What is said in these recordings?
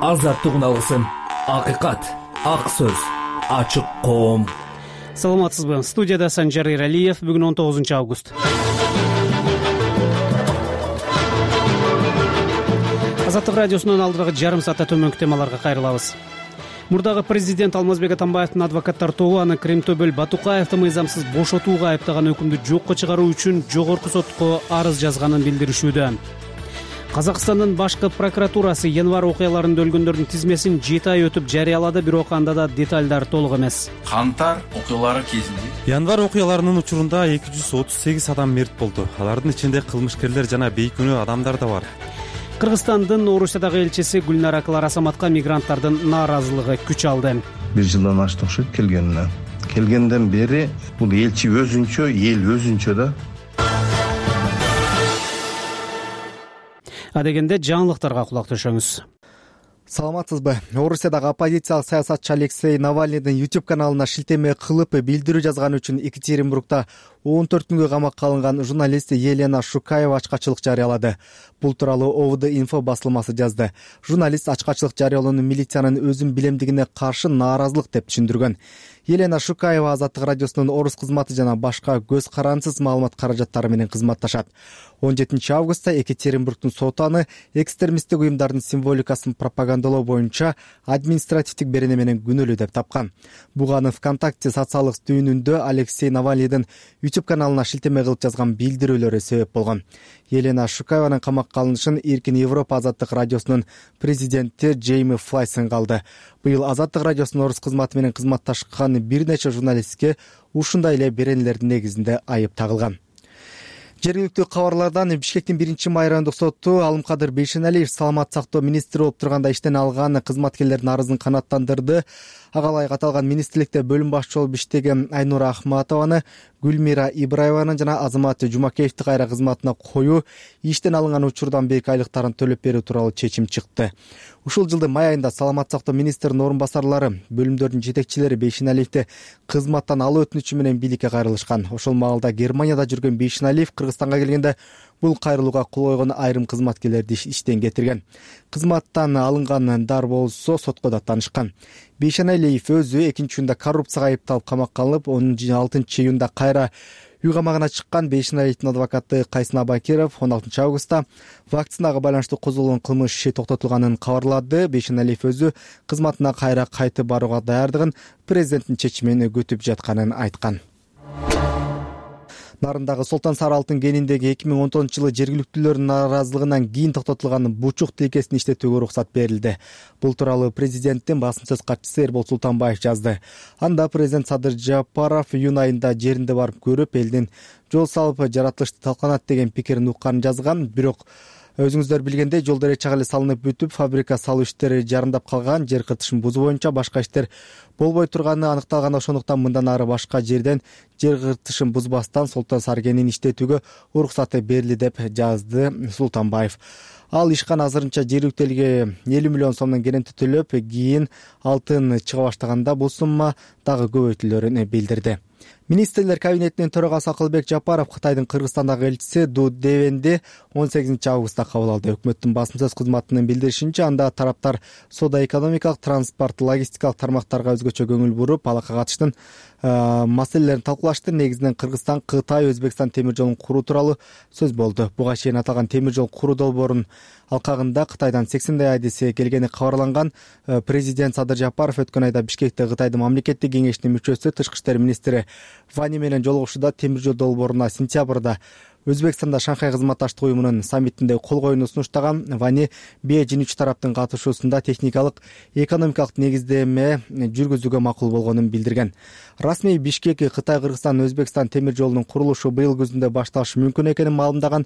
азаттык үналгысын, акыйкат, ак сөз, ачык коом. Саламатсызбы? Студияда Санжар Эралиев. Бүгүн 19 август. Азаттык радиосунун алдыдагы жарым саатта төмөнкү темаларга кайрылабыз. Мурдагы президент Алмазбек Атамбаевдин адвокаттар тобу аны Кремтобел Батукаевди мыйзамсыз бошотууга айыптаган өкүмдү жокко чыгаруу үчүн жогорку сотко арыз жазганын билдиришүүдө. Казакстандын башкы прокуратурасы январь окуяларында өлгөндөрдүн тизмесин 7 ай өтүп жарыялады, бирок анда да детальдар толук эмес. Кантар окуялары кезинде январь окуяларынын учурунда 238 адам мерт болду. Алардын ичинде кылмышкерлер жана бейкүнөө адамдар да бар. Кыргызстандын Орусиядагы элчиси Гүлнара Кларасаматка мигранттардын нааразылыгы күч алды. 1 жылдан ашты окшойт келгенине. Келгенден бери бул элчи өзүнчө, эл өзүнчө да. Адегенде жаңылыктарга кулак төшөңүз. Саламатсызбы? Орусиядагы оппозициялык саясатчы Алексей Навальныйдын YouTube каналына шилтеме кылып билдирүү жазганы үчүн Екатеринбургда 14 күнгө камакка алынган журналист Елена Шукаева ачкачылык жарыялады. Бул тууралуу ОВД инфо басылмасы жазды. Журналист ачкачылык жарыялоону милициянын өзүн билемдигине каршы нааразылык деп түшүндүргөн. Елена Шукаева Азаттык радиосунун Орус кызматы жана башка көз карансыз маалымат каражаттары менен кызматташат. 17 августта Екатеринбургдун соту аны экстремисттик уюмдардын символикасын пропагандалоо боюнча административдик берене менен күнөөлүү деп тапкан. Буга аны ВКонтакте социалдык түйүнүндө Алексей Навальныйдын YouTube каналына шилтеме кылып жазган билдирүүлөрү себеп болгон. Елена Шукаеванын камакка алынышын Эркин Европа Азаттык радиосунун президенти Джейми Флайсон калды. Быйыл Азаттык радиосунун Орус кызматы менен кызматташкан бир нече журналистке ушундай эле беренелердин негизинде айып тагылган. Жергиликтүү кабарлардан Бишкектин 1-май райондук соту Алымкадыр Бейшеналиев саламат сактоо министри болуп турганда иштен алган кызматкерлердин арызын канааттандырды. Ага ылайык аталган министрликте бөлүм башчы болуп иштеген Айнура Ахматованы Гүлмира Ибраеваны жана Азамат Жумакеевди кайра кызматына коюу иштен алынган учурдан берки айлыктарын төлөп берүү тууралуу чечим чыкты. Ушул жылдын май айында саламат сактоо министринин орун басарлары, бөлүмдөрдүн жетекчилери Бейшеналиевди кызматтан алуу өтүнүчү менен бийликке кайрылышкан. Ошол маалда Германияда жүргөн Бейшеналиев Кыргызстанга келгенде бул кайрылууга кол койгон айрым кызматкерлерди иштен кетирген. Кызматтан алынгандар болсо сотко да таанышкан. Бейшеналиев өзү 2-июнда коррупцияга айыпталып камакка алынып, 16-июнда кайра үй камагына чыккан. Бейшеналиевдин адвокаты Кайсын Абакиров 16 августта вакцинага байланыштуу козголгон кылмыш иши токтотулганын кабарлады. Бейшеналиев өзү кызматына кайра кайтып барууга даярдыгын президенттин чечимин күтүп жатканын айткан. Нарындагы Солтан Сары алтын кениндеги 2019 жылы жергиликтүүлөрдүн нааразылыгынан кийин токтотулган бучук тилкесин иштетүүгө уруксат берилди. Бул тууралуу президенттин басым сөз катчысы Эрбол Султанбаев жазды. Анда президент Садыр Жапаров июнь айында жеринде барып көрүп, элдин жол салып жаратылышты талканат деген пикирин укканын жазган. Бирок өзүңүздөр билгендей, жолдор эч эле салынып бүтүп, фабрика салуу иштери жарымдап калган. Жер кыртышын бузуу боюнча башка иштер болбой турганы аныкталган. Ошондуктан мындан ары башка жерден жер кыртышын бузбастан Солтан Сары кенин иштетүүгө уруксаты берилди деп жазды Султанбаев. Ал ишкана азырынча жергиликтүү элге 50 миллион сомдон керенти төлөп, кийин алтын чыга баштаганда бул сумма дагы көбөйтүлөрүн билдирди. Министрлер кабинетинин төрагасы Акылбек Жапаров Кытайдын Кыргызстандагы элчиси Ду Девенди 18 августта кабыл алды. Өкмөттүн басым сөз кызматынын билдиришинче, анда тараптар соода-экономикалык, транспорт, логистикалык тармактарга өзгөчө көңүл буруп, алакка катыштын маселелерин талкуулашты. Негизинен Кыргызстан, Кытай, Өзбекстан темир жолун куруу тууралуу сөз болду. Буга чейин аталган темир жол куруу долбоорунун алкагында Кытайдан 80 айдеси келгени кабарланган. Президент Садыр Жапаров өткөн айда Бишкекте Кытайдын мамлекеттик кеңешинин мүчөсү, тышкы иштер министри Вани менен жолугушууда темир жол долбооруна сентябрда Өзбекстанда Шанхай кызматташтык уюмунун саммитинде кол коюуну сунуштаган. Вани Бейжин 3 тараптын катышуусунда техникалык, экономикалык негиздеме жүргүзүүгө макул болгонун билдирген. Расмий Бишкек Кытай, Кыргызстан, Өзбекстан темир жолунун курулушу быйыл күзүндө башталышы мүмкүн экенин маалымдаган.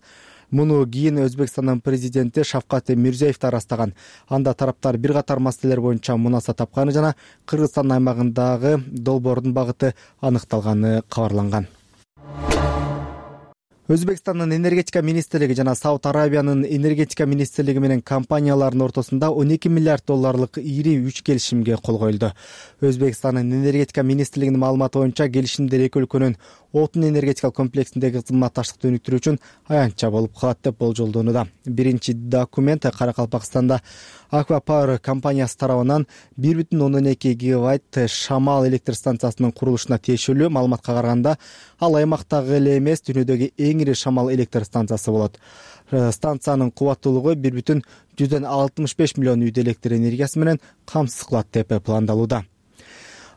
Муну кийин Өзбекстандын президенти Шавкат Мирзиёевди арастаган. Анда тараптар бир катар маселелер боюнча мунаса тапканы жана Кыргызстан аймагындагы долбоордун багыты аныкталганы кабарланган. Өзбекстандын энергетика министрлиги жана Сауд Арабиянын энергетика министрлиги менен компаниялардын ортосунда 12 миллиард долларлык ири 3 келишимге кол коюлду. Өзбекстандын энергетика министрлигинин маалыматы боюнча келишимдер эки өлкөнүн отун энергетикалык комплексиндеги кызматташтыкты өнүктүрүү үчүн аянтча болуп калат деп болжолдонууда. Биринчи документ Каракалпакстанда Аква Power компаниясы тарабынан 1,2 гигавайт шамал электр станциясынын курулушуна тиешелүү. Маалыматка караганда, ал аймактагы эле эмес, дүйнөдөгү эң ири шамал электр станциясы болот. Станциянын кубаттуулугу 1,65 миллион үйдү электр энергиясы менен камсыз кылат деп пландалууда.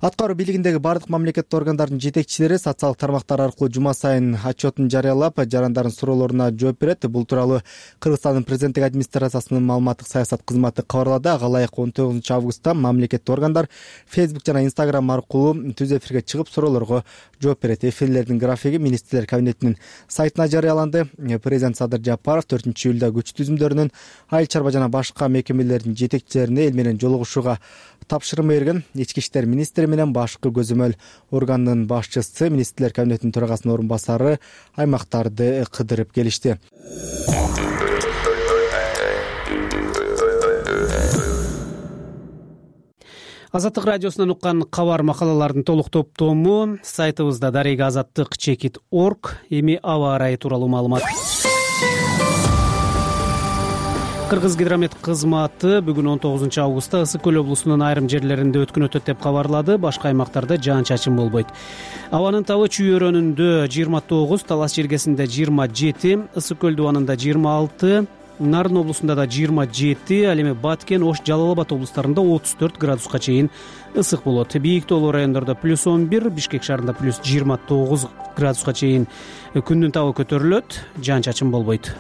Аткаруу бийлигиндеги бардык мамлекеттик органдардын жетекчилери социалдык тармактар аркылуу жума сайын отчетун жарыялап, жарандардын суроолоруна жооп берет. Бул тууралуу Кыргызстандын президенттик администрациясынын маалыматтык саясат кызматы кабарлады. Ага ылайык 19 августта мамлекеттик органдар Facebook жана Instagram аркылуу түз эфирге чыгып суроолорго жооп берет. Эфирлердин графиги министрлер кабинетинин сайтына жарыяланды. Президент Садыр Жапаров 4-июлда күч түзүмдөрүнүн, айыл чарба жана башка мекемелердин жетекчилерине эл менен жолугушууга тапшырма берген. Ички иштер министри менен башкы көзөмөл органдын башчысы, министрлер кабинетинин төрагасынын орун басары аймактарды кыдырып келишти. Азаттык радиосунан уккан кабар макалалардын толук топтому сайтыбызда darega-azattik.org. Эми аба ырайы тууралуу маалымат. Кыргызгидромет кызматы бүгүн 19 августта Ысык көл облусунун айрым жерлеринде өткүн өтөт деп кабарлады. Башка аймактарда жаан-чачын болбойт. Абанын табы Чүй өрөөнүндө 29, Талас Жергесинде 27, Ысык көл дубанында 26, Нарын облусунда да 27, ал эми Баткен, Ош, Жалал Абад облустарында 34 градуска чейин ысык болот. Бийик тоолуу райондордо +11, Бишкек шаарында +29 градуска чейин күндүн табы көтөрүлөт, жаан-чачын болбойт.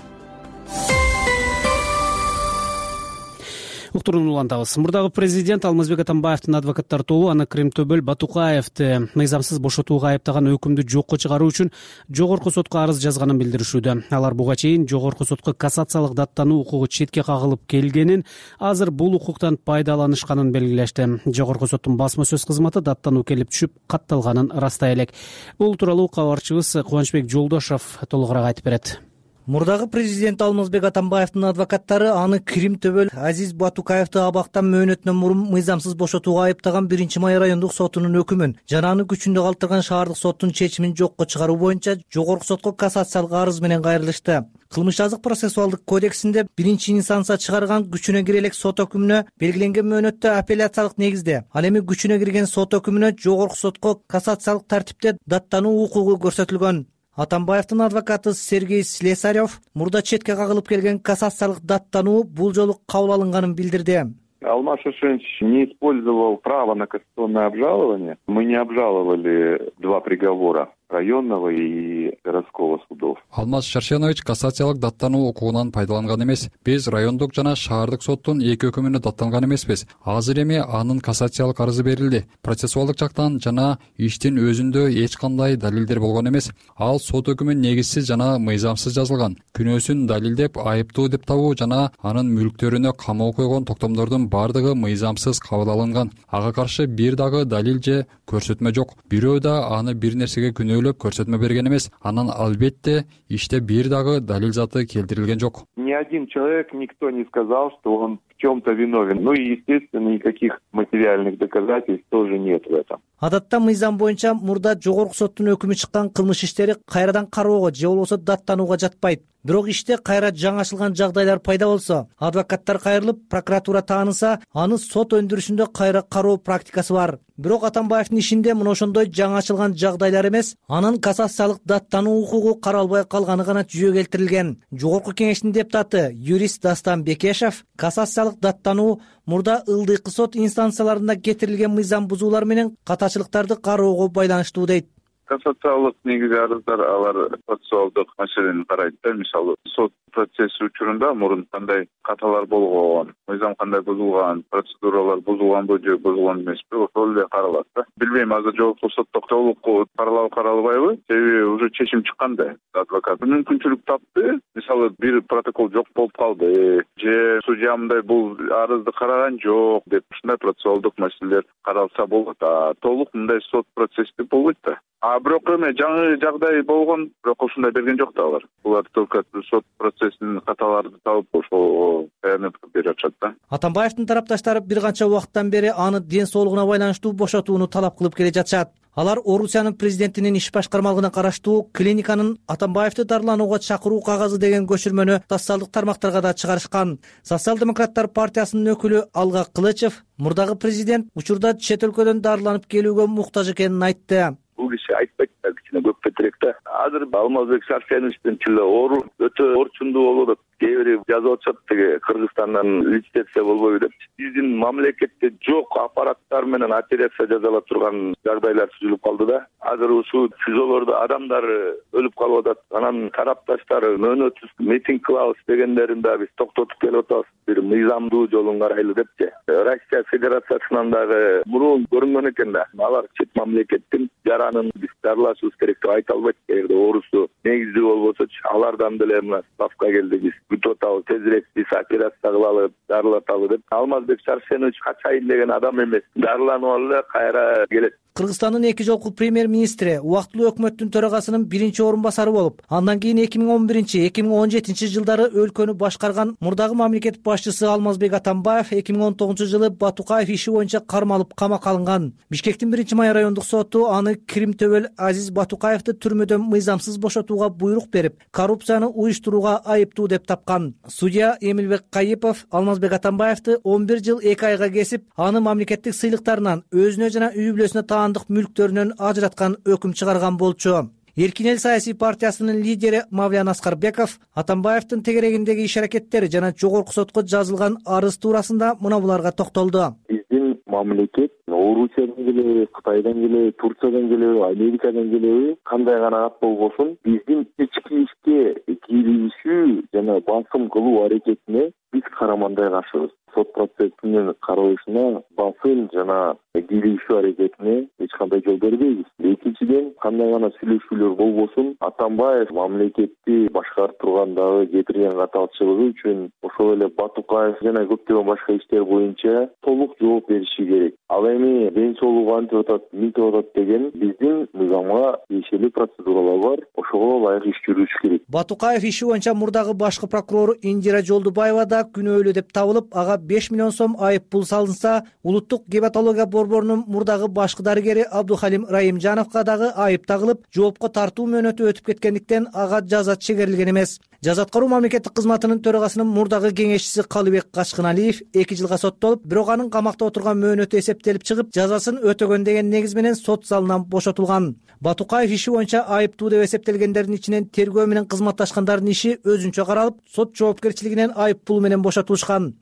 Уктуруун улантабыз. Мурдагы президент Алмазбек Атамбаевдин адвокаттар тобу аны Кримтөбөл Батукаевди мыйзамсыз бошотууга айыптаган өкүмдү жокко чыгаруу үчүн жогорку сотко арыз жазганын билдиришүүдө. Алар буга чейин жогорку сотко кассациялык даттануу укугу четке кагылып келгенин, азыр бул укуктан пайдаланышканын белгилешти. Жогорку соттун басма сөз кызматы даттануу келип түшүп катталганын ырастай элек. Бул тууралуу кабарчыбыз Кубанычбек Жолдошов толугураак айтып берет. Мурдагы президент Алмазбек Атамбаевдин адвокаттары аны Кримтөбөл Азиз Батукаевди абактан мөөнөтүнөн мурун мыйзамсыз бошотууга айыптаган 1-май райондук сотунун өкүмүн жана аны күчүндө калтырган шаардык соттун чечимин жокко чыгаруу боюнча жогорку сотко кассациялык арыз менен кайрылышты. Кылмыш жазык процессуалдык кодексинде 1-инстанция чыгарган күчүнө кире элек сот өкүмүнө белгиленген мөөнөттө апелляциялык негизде, ал эми күчүнө кирген сот өкүмүнө жогорку сотко кассациялык тартипте даттануу укугу көрсөтүлгөн. Атамбаевдин адвокаты Сергей Слесарев мурда четке кагылып келген кассациялык даттануу бул жолу кабыл алынганын билдирди. Алмаз Шишевич не использовал право на кассационное обжалование. Мы не обжаловали два приговора районного и городского судов. Алмаз Шаршенович кассациялык даттануу укугунан пайдаланган эмес. Биз райондук жана шаардык соттун эки өкүмүнө даттанган эмеспиз. Азыр эми анын кассациялык арызы берилди. Процессуалдык жактан жана иштин өзүндө эч кандай далилдер болгон эмес. Ал сот өкүмү негизсиз жана мыйзамсыз жазылган. Күнөөсүн далилдеп, айыптуу деп табуу жана анын мүлктөрүнө камоо койгон токтомдордун бардыгы мыйзамсыз кабыл алынган. Ага каршы бир дагы далил же көрсөтмө жок. Бирөө да аны бир нерсеге күнөөлөп көрсөтмө берген эмес. Анан албетте иште бир дагы далил заты келтирилген жок. Ни один человек, никто не сказал, что он в чем-то виновен. Ну и, естественно, никаких материальных доказательств тоже нет в этом. Адатта мыйзам боюнча мурда жогорку соттун өкүмү чыккан кылмыш иштери кайрадан кароого же болбосо даттанууга жатпайт. Бирок иште кайра жаңашылган жагдайлар пайда болсо, адвокаттар кайрылып, прокуратура тааныса, аны сот өндүрүшүндө кайра кароо практикасы бар. Бирок Атамбаевдин ишинде мына ошондой жаңашылган жагдайлар эмес, анын кассациялык даттануу укугу каралбай калганы гана жүзөгө келтирилген. Жогорку кеңештин депутаты юрист Дастан Бекешев кассациялык даттануу мурда ылдыйкы сот инстанцияларында кетирилген мыйзам бузуулар менен катачылыктарды кароого байланыштуу дейт. Кассациялык негизи арыздар алар процессуалдык маселени карайт да. Мисалы, сот процесси учурунда мурун кандай каталар болгон, мыйзам кандай бузулган, процедуралар бузулганбы же бузулган эмеспи, ошол эле каралат да. Билбейм, азыр жогорку сотто толук каралбайбы, себеби уже чечим чыккан да. Адвокат мүмкүнчүлүк тапты. Мисалы, бир протокол жок болуп калды, же судья мындай бул арызды караган жок деп ушундай процессуалдык маселелер каралса болот. Толук мындай сот процесси болбойт да. А Бирок эме жаңы жагдай болгон, бирок ушундай берген жок да алар. Булар только сот процессинин каталарды табып ошол баянат кылып берип атышат да. Атамбаевдин тарапташтары бир канча убакыттан бери аны ден соолугуна байланыштуу бошотууну талап кылып келе жатышат. Алар Орусиянын президентинин иш башкармалыгына караштуу клиниканын Атамбаевди дарыланууга чакыруу кагазы деген көчүрмөнү социалдык тармактарга да чыгарышкан. Социал-демократтар партиясынын өкүлү Алга Кылычев мурдагы президент учурда чет өлкөдөн дарыланып келүүгө муктаж экенин айтты. Бул киши айтпайт да, кичине көп кетирээк да. Азыр Алмазбек Шарсеновичтин тили ооруп, өтө орчундуу болуп атат. Кээ бири жазып атышат деге Кыргызстандан лицензия болбойбу деп. Биздин мамлекетте жок аппараттар менен операция жасала турган жагдайлар түзүлүп калды да. Азыр ушул СИЗОлордо адамдар өлүп калып атат. Анан тарапташтар мөөнөтсүз митинг кылабыз дегендерин да биз токтотуп келип атабыз. Бир мыйзамдуу жолун карайлы депчи. Россия Федерациясынан дагы мурун көрүнгөн экен да. Алар чет мамлекеттин жаранын биз дарылашыбыз керек деп айта албайт. Эгерде оорусу негиздүү болбосочу, алардан деле мына ставка келди, биз күтүп атабыз, тезирээк биз операция кылалы, дарылаталы деп. Алмазбек Шарсенович качайын деген адам эмес. Дарыланып алып кайра келет. Кыргызстандын 2 жолку премьер-министри убактылуу өкмөттүн төрагасынын 1-орун басары болуп, андан кийин 2011-2017 жылдары өлкөнү башкарган мурдагы мамлекет башчысы Алмазбек Атамбаев 2019-жылы Батукаев иши боюнча кармалып камакка алынган. Бишкектин 1-май райондук соту аны Кримтөбөл Азиз Батукаевди түрмөдөн мыйзамсыз бошотууга буйрук берип, коррупцияны уюштурууга айыптуу деп тапкан. Судья Эмилбек Кайыпов Алмазбек Атамбаевди 11 жыл 2 айга кесип, аны мамлекеттик сыйлыктарынан өзүнө жана үй бүлөсүнө мүлктөрүнөн ажыраткан өкүм чыгарган болчу. Эркин эл саясий партиясынын лидери Мавлян Аскарбеков Атамбаевдин тегерегиндеги иш-аракеттери жана жогорку сотко жазылган арыз туурасында мына буларга токтолду. Биздин мамлекет Орусиядан келеби, Кытайдан келеби, Турциядан келеби, Америкадан келеби, кандай гана ат болбосун, биздин ички ишке киришүү жана басым кылуу аракетине биз карамандай каршыбыз. Сот процессинин каралышына басым жана киришүү аракетине эч кандай жол бербейбиз. Экинчиден, кандай гана сүйлөшүүлөр болбосун, Атамбаев мамлекетти башкарып тургандагы кетирген каталчылыгы үчүн ошол эле Батукаев жана көптөгөн башка иштер боюнча толук жооп бериши керек. Ал эми ден соолугу антип атат, мынтип атат деген биздин мыйзамга тиешелүү процедуралар бар, ошого ылайык иш жүргүзүш керек. Батукаев иши боюнча мурдагы башкы прокурор Индира Жолдубаева да күнөөлүү деп табылып, ага 5 миллион сом айып пул салынса, улуттук гепатология борборунун мурдагы башкы дарыгери Абдухалим Раимжановго дагы айып тагылып, жоопко тартуу мөөнөтү өтүп кеткендиктен ага жаза чегерилген эмес. Жаза аткаруу мамлекеттик кызматынын төрагасынын мурдагы кеңешчиси Калыбек Качкыналиев 2 жылга соттолуп, бирок анын камакта отурган мөөнөтү эсептелип чыгып, жазасын өтөгөн деген негиз менен сот залынан бошотулган. Батукаев иши боюнча айыптуу деп эсептелгендердин ичинен тергөө менен кызматташкандардын иши өзүнчө каралып, сот жоопкерчилигинен айып пул менен бошотулушкан.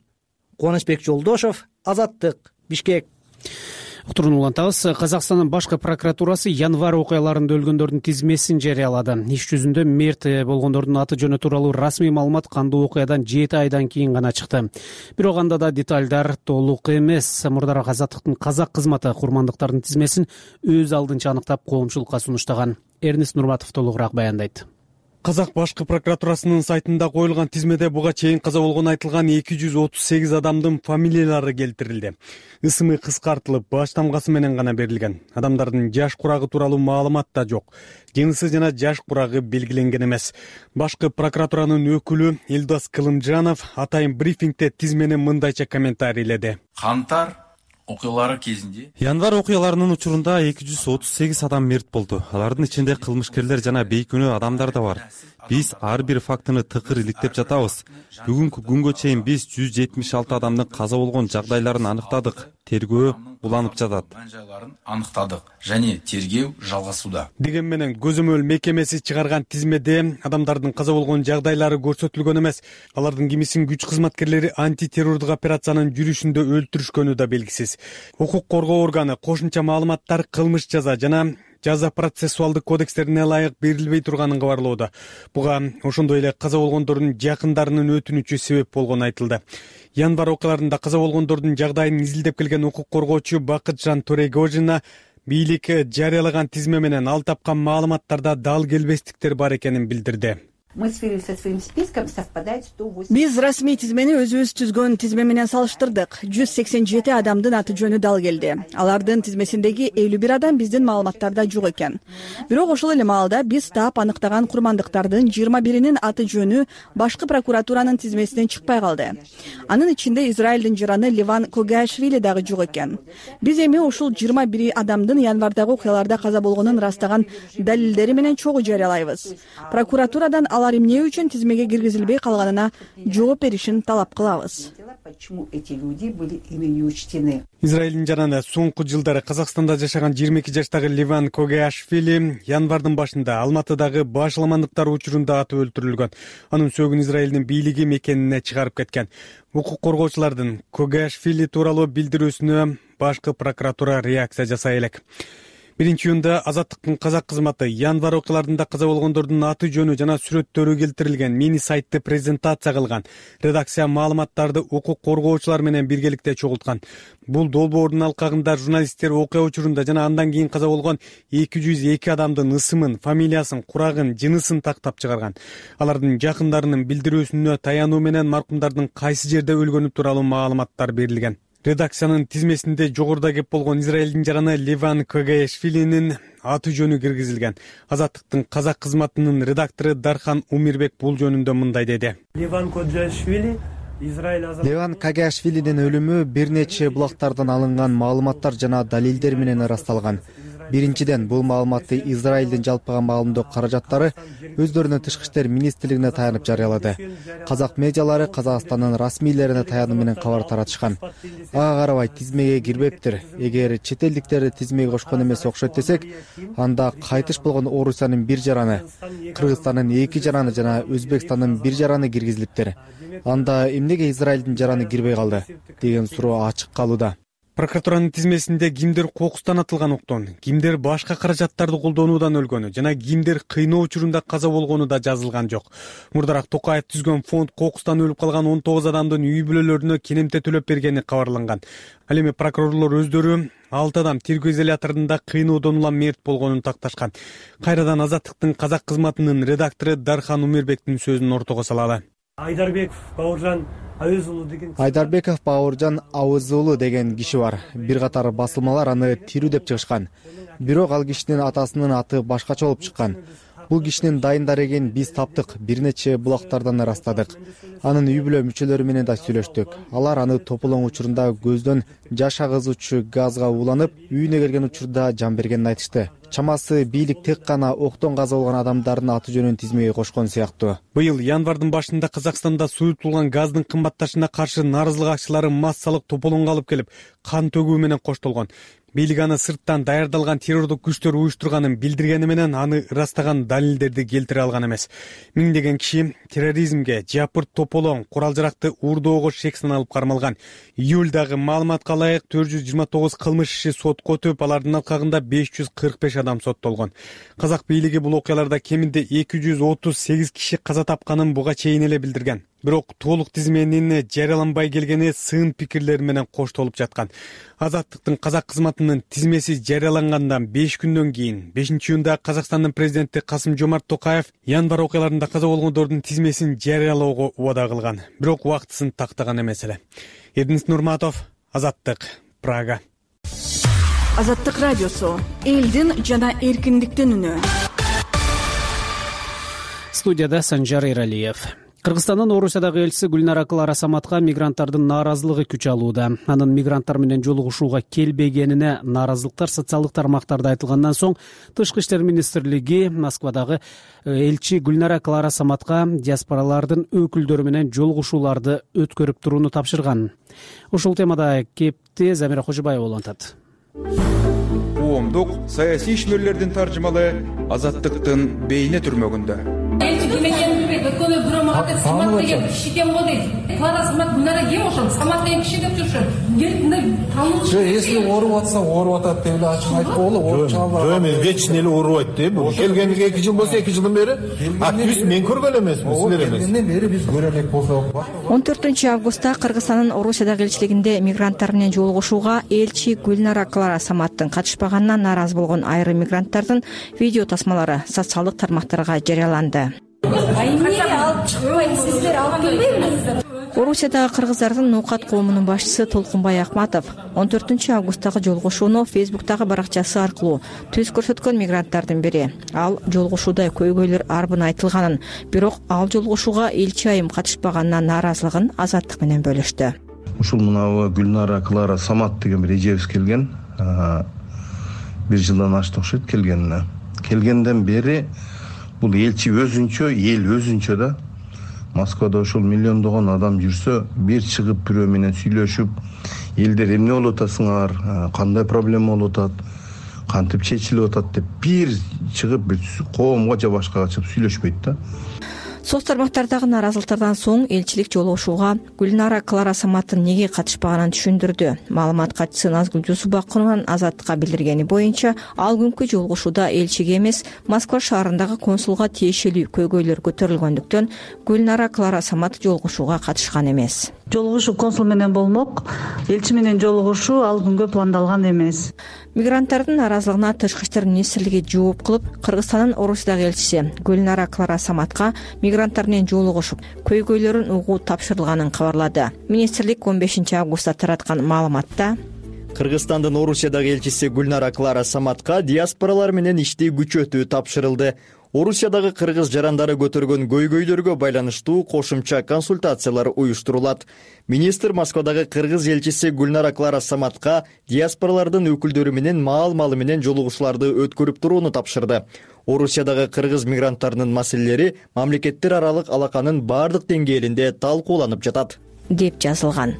Кубанычбек Жолдошов, Азаттык, Бишкек. Уктурууну улантабыз. Казакстандын башкы прокуратурасы январь окуяларында өлгөндөрдүн тизмесин жарыялады. Иш жүзүндө мерт болгондордун аты жөнү тууралуу расмий маалымат кандуу окуядан 7 айдан кийин гана чыкты. Бирок анда да деталдар толук эмес. Мурдараак Азаттыктын казак кызматы курмандыктардын тизмесин өз алдынча аныктап коомчулукка сунуштаган. Эрнис Нурматов толугураак баяндайт. Казак башкы прокуратурасынын сайтында коюлган тизмеде буга чейин каза болгону айтылган 238 адамдын фамилиялары келтирилди. Ысымы кыскартылып, баш тамгасы менен гана берилген. Адамдардын жаш курагы тууралуу маалымат да жок. Жынысы жана жаш курагы белгиленген эмес. Башкы прокуратуранын өкүлү Элдос Кылымжанов атайын брифингде тизмени мындайча комментарийледи. Кантар окуялары кезинде январь окуяларынын учурунда 238 адам мерт болду. Алардын ичинде кылмышкерлер жана бейкүнөө адамдар да бар. Биз ар бир фактыны тыкыр иликтеп жатабыз. Бүгүнкү күнгө чейин биз 176 адамдын каза болгон жагдайларын аныктадык. Тергөө уланып жатат. Аныктадык және тергөө жалгасууда. Деген менен көзөмөл мекемеси чыгарган тизмеде адамдардын каза болгон жагдайлары көрсөтүлгөн эмес. Алардын кимисин күч кызматкерлери антитеррордук операциянын жүрүшүндө өлтүрүшкөнү да белгисиз. Укук коргоо органы кошумча маалыматтар кылмыш жаза жана жаза процессуалдык кодекстерине ылайык берилбей турганын кабарлоодо. Буга ошондой эле каза болгондордун жакындарынын өтүнүчү себеп болгону айтылды. Январь окуяларында каза болгондордун жагдайын изилдеп келген укук коргоочу Бакытжан Төрегожина бийлик жарыялаган тизме менен ал тапкан маалыматтарда дал келбестиктер бар экенин билдирди. Мы сверились со своим списком, совпадает 108. Биз расмий тизмени өзүбүз түзгөн тизме менен салыштырдык. 187 адамдын аты жөнү дал келди. Алардын тизмесиндеги 51 адам биздин маалыматтарда жок экен. Бирок ошол эле маалда биз таап аныктаган курмандыктардын 21-нин аты жөнү башкы прокуратуранын тизмесинен чыкпай калды. Анын ичинде Израилдин жараны Леван Когашвили дагы жок экен. Биз эми ушул 21 адамдын январдагы окуяларда каза болгонун ырастаган далилдери менен чогуу жарыялайбыз. Прокуратурадан алар эмне үчүн тизмеге киргизилбей калганына жооп беришин талап кылабыз. Почему эти люди были ими не учтены? Израилдин жараны соңку жылдары Казакстанда жашаган 22 жаштагы Леван Когашвили январдын башында Алматыдагы башаламандыктар учурунда атып өлтүрүлгөн. Анын сөөгүн Израилдин бийлиги мекенине чыгарып кеткен. Укук коргоочулардын Когашвили тууралуу билдирүүсүнө башкы прокуратура реакция жасай элек. 1-июнда Азаттыктын казак кызматы январ окуяларында каза болгондордун аты жөнү жана сүрөттөрү келтирилген мини сайтты презентация кылган. Редакция маалыматтарды укук коргоочулар менен биргеликте чогулткан. Бул долбоордун алкагында журналисттер окуя учурунда жана андан кийин каза болгон 202 адамдын ысымын, фамилиясын, курагын, жынысын тактап чыгарган. Алардын жакындарынын билдирүүсүнө таянуу менен маркумдардын кайсы жерде өлгөнү тууралуу маалыматтар берилген. Редакциянын тизмесинде жогоруда кеп болгон Израилдин жараны Леван Когашвилинин аты жөнү киргизилген. Азаттыктын казак кызматынын редактору Дархан Умирбек бул жөнүндө мындай деди. Леван Когашвилинин өлүмү бир нече булактардан алынган маалыматтар жана далилдер менен ырасталган. Биринчиден, бул маалыматты Израилдин жалпыга маалымдоо каражаттары өздөрүнүн тышкы иштер министрлигине таянып жарыялады. Казак медиалары Казакстандын расмийлерине таянуу менен кабар таратышкан. Ага карабай тизмеге кирбептир. Эгер чет элдиктерди тизмеге кошкон эмес окшойт десек, анда кайтыш болгон Орусиянын бир жараны, Кыргызстандын 2 жараны жана Өзбекстандын бир жараны киргизилиптир. Анда эмнеге Израилдин жараны кирбей калды деген суроо ачык калууда. Прокуратуранын тизмесинде кимдер кокустан атылган октон, кимдер башка каражаттарды колдонуудан өлгөнү жана кимдер кыйноо учурунда каза болгону да жазылган жок. Мурдараак Токаев түзгөн фонд кокустан өлүп калган 19 адамдын үй бүлөлөрүнө кенемте төлөп бергени кабарланган. Ал эми прокурорлор өздөрү 6 адам тергөө изоляторунда кыйноодон улам мерт болгонун такташкан. Кайрадан Азаттыктын казак кызматынын редактору Дархан Умирбектин сөзүн ортого салалы. Айдарбеков Бауыржан Ауызулу деген киши бар. Бир катар басылмалар аны тирүү деп чыгышкан. Бирок ал кишинин атасынын аты башкача болуп чыккан. Бул кишинин дайындар экенин биз таптык, бир нече булактардан ырастадык. Анын үй бүлө мүчөлөрү менен да сүйлөштүк. Алар аны тополоң учурунда көздөн жаш агызуучу газга ууланып, үйүнө келген учурда жан бергенин айтышты. Чамасы бийлик тек гана октон каза болгон адамдардын аты жөнүн тизмеге кошкон сыяктуу. Быйыл январдын башында Казакстанда суютулган газдын кымбатташына каршы нааразылык акчылары массалык тополоңго алып келип, кан төгүү менен коштолгон. Бийлик аны сырттан даярдалган террордук күчтөр уюштурганын билдиргени менен аны ырастаган далилдерди келтире алган эмес. Миңдеген киши терроризмге, жапырт тополоң, курал-жаракты уурдоого шек саналып кармалган. Июлдагы маалыматка ылайык 429 кылмыш иши сотко өтүп, алардын алкагында 545 адам соттолгон. Казак бийлиги бул окуяларда кеминде 238 киши каза тапканын буга чейин эле билдирген. Бирок толук тизменин жарыяланбай келгени сын пикирлер менен коштолуп жаткан. Азаттыктын казак кызматынын тизмеси жарыялангандан 5 күндөн кийин 5-июнда Казакстандын президенти Касым-Жомарт Токаев январ окуяларында каза болгондордун тизмесин жарыялоого убада кылган. Бирок убактысын тактаган эмес эле. Эрдинис Нурматов, Азаттык, Прага. Азаттык радиосу, элдин жана эркиндиктин үнү. Студияда Санжар Эралиев. Кыргызстандын Орусиядагы элчиси Гүлнара Клара Саматка мигранттардын нааразылыгы күч алууда. Анын мигранттар менен жолугушууга келбегенине нааразылыктар социалдык тармактарда айтылгандан соң Тышкы иштер министрлиги Москвадагы элчи Гүлнара Клара Саматка диаспоралардын өкүлдөрү менен жолугушууларды өткөрүп турууну тапшырган. Ушул темада кепти Замира Кожобаева улантат. Коомдук саясий ишмерлердин таржымалы Азаттыктын бейне түрмөгүндө. Если ооруп атса, ооруп атат деп эле ачык айтып болду. Жок, мен вечный эле ооруп айтты. Бул келгениге 2 жыл болсо 2 жылдан бери активист мен көргөн эмесмин, силер эмес. Келгенден бери биз көрө элек болсок. 14-августта Кыргызстандын Орусиядагы элчилигинде мигранттар менен жолугушууга элчи Гүлнара Клара Саматтын катышпаганына нааразы болгон айрым мигранттардын видео тасмалары социалдык тармактарга жарыяланды. А эмне чыкпайт, сиздер алып келбейбиз. Орусиядагы кыргыздардын ноокат коомунун башчысы Толкунбай Акматов 14 августтагы жолугушууну Фейсбуктагы баракчасы аркылуу түз көрсөткөн мигранттардын бири. Ал жолугушууда көйгөйлөр арбын айтылганын, бирок ал жолугушууга элчи айым катышпаганына нааразылыгын Азаттык менен бөлүштү. Ушул мынабу Гүлнара Клара Самат деген бир эжебиз келген. 1 жылдан ашты окшойт келгенине. Келгенден бери бул элчи өзүнчө, эл өзүнчө да Москвада ошол миллиондогон адам жүрсө, бир чыгып бирөө менен сүйлөшүп, элдер эмне болуп атасыңар, кандай проблема болуп атат, кантип чечилип атат деп бир чыгып бир коомго же башкага чыгып сүйлөшпөйт да. Соц тармактардагы нааразылыктардан соң элчилик жолугушууга Гүлнара Клара Саматтын неге катышпаганын түшүндүрдү. Маалымат катчысы Назгүл Жусупбакованын Азаттыкка билдиргени боюнча, ал күнкү жолугушууда элчиге эмес, Москва шаарындагы консулга тиешелүү көйгөйлөр көтөрүлгөндүктөн Гүлнара Клара Самат жолугушууга катышкан эмес. Жолугушуу консул менен болмок, элчи менен жолугушуу ал күнгө пландалган эмес. Мигранттардын нааразылыгына Тышкы иштер министрлиги жооп кылып, Кыргызстандын Орусиядагы элчиси Гүлнара Клара Саматка мигранттар менен жолугушуп, көйгөйлөрүн угуу тапшырылганын кабарлады. Министрлик 15 августта тараткан маалыматта Кыргызстандын Орусиядагы элчиси Гүлнара Клара Саматка диаспоралар менен ишти күчөтүү тапшырылды. Орусиядагы кыргыз жарандары көтөргөн көйгөйлөргө байланыштуу кошумча консультациялар уюштурулат. Министр Москвадагы кыргыз элчиси Гүлнара Клара Саматка диаспоралардын өкүлдөрү менен маал-малы менен жолугушууларды өткөрүп турууну тапшырды. Орусиядагы кыргыз мигранттарынын маселелери мамлекеттер аралык алаканын бардык деңгээлинде талкууланып жатат деп жазылган.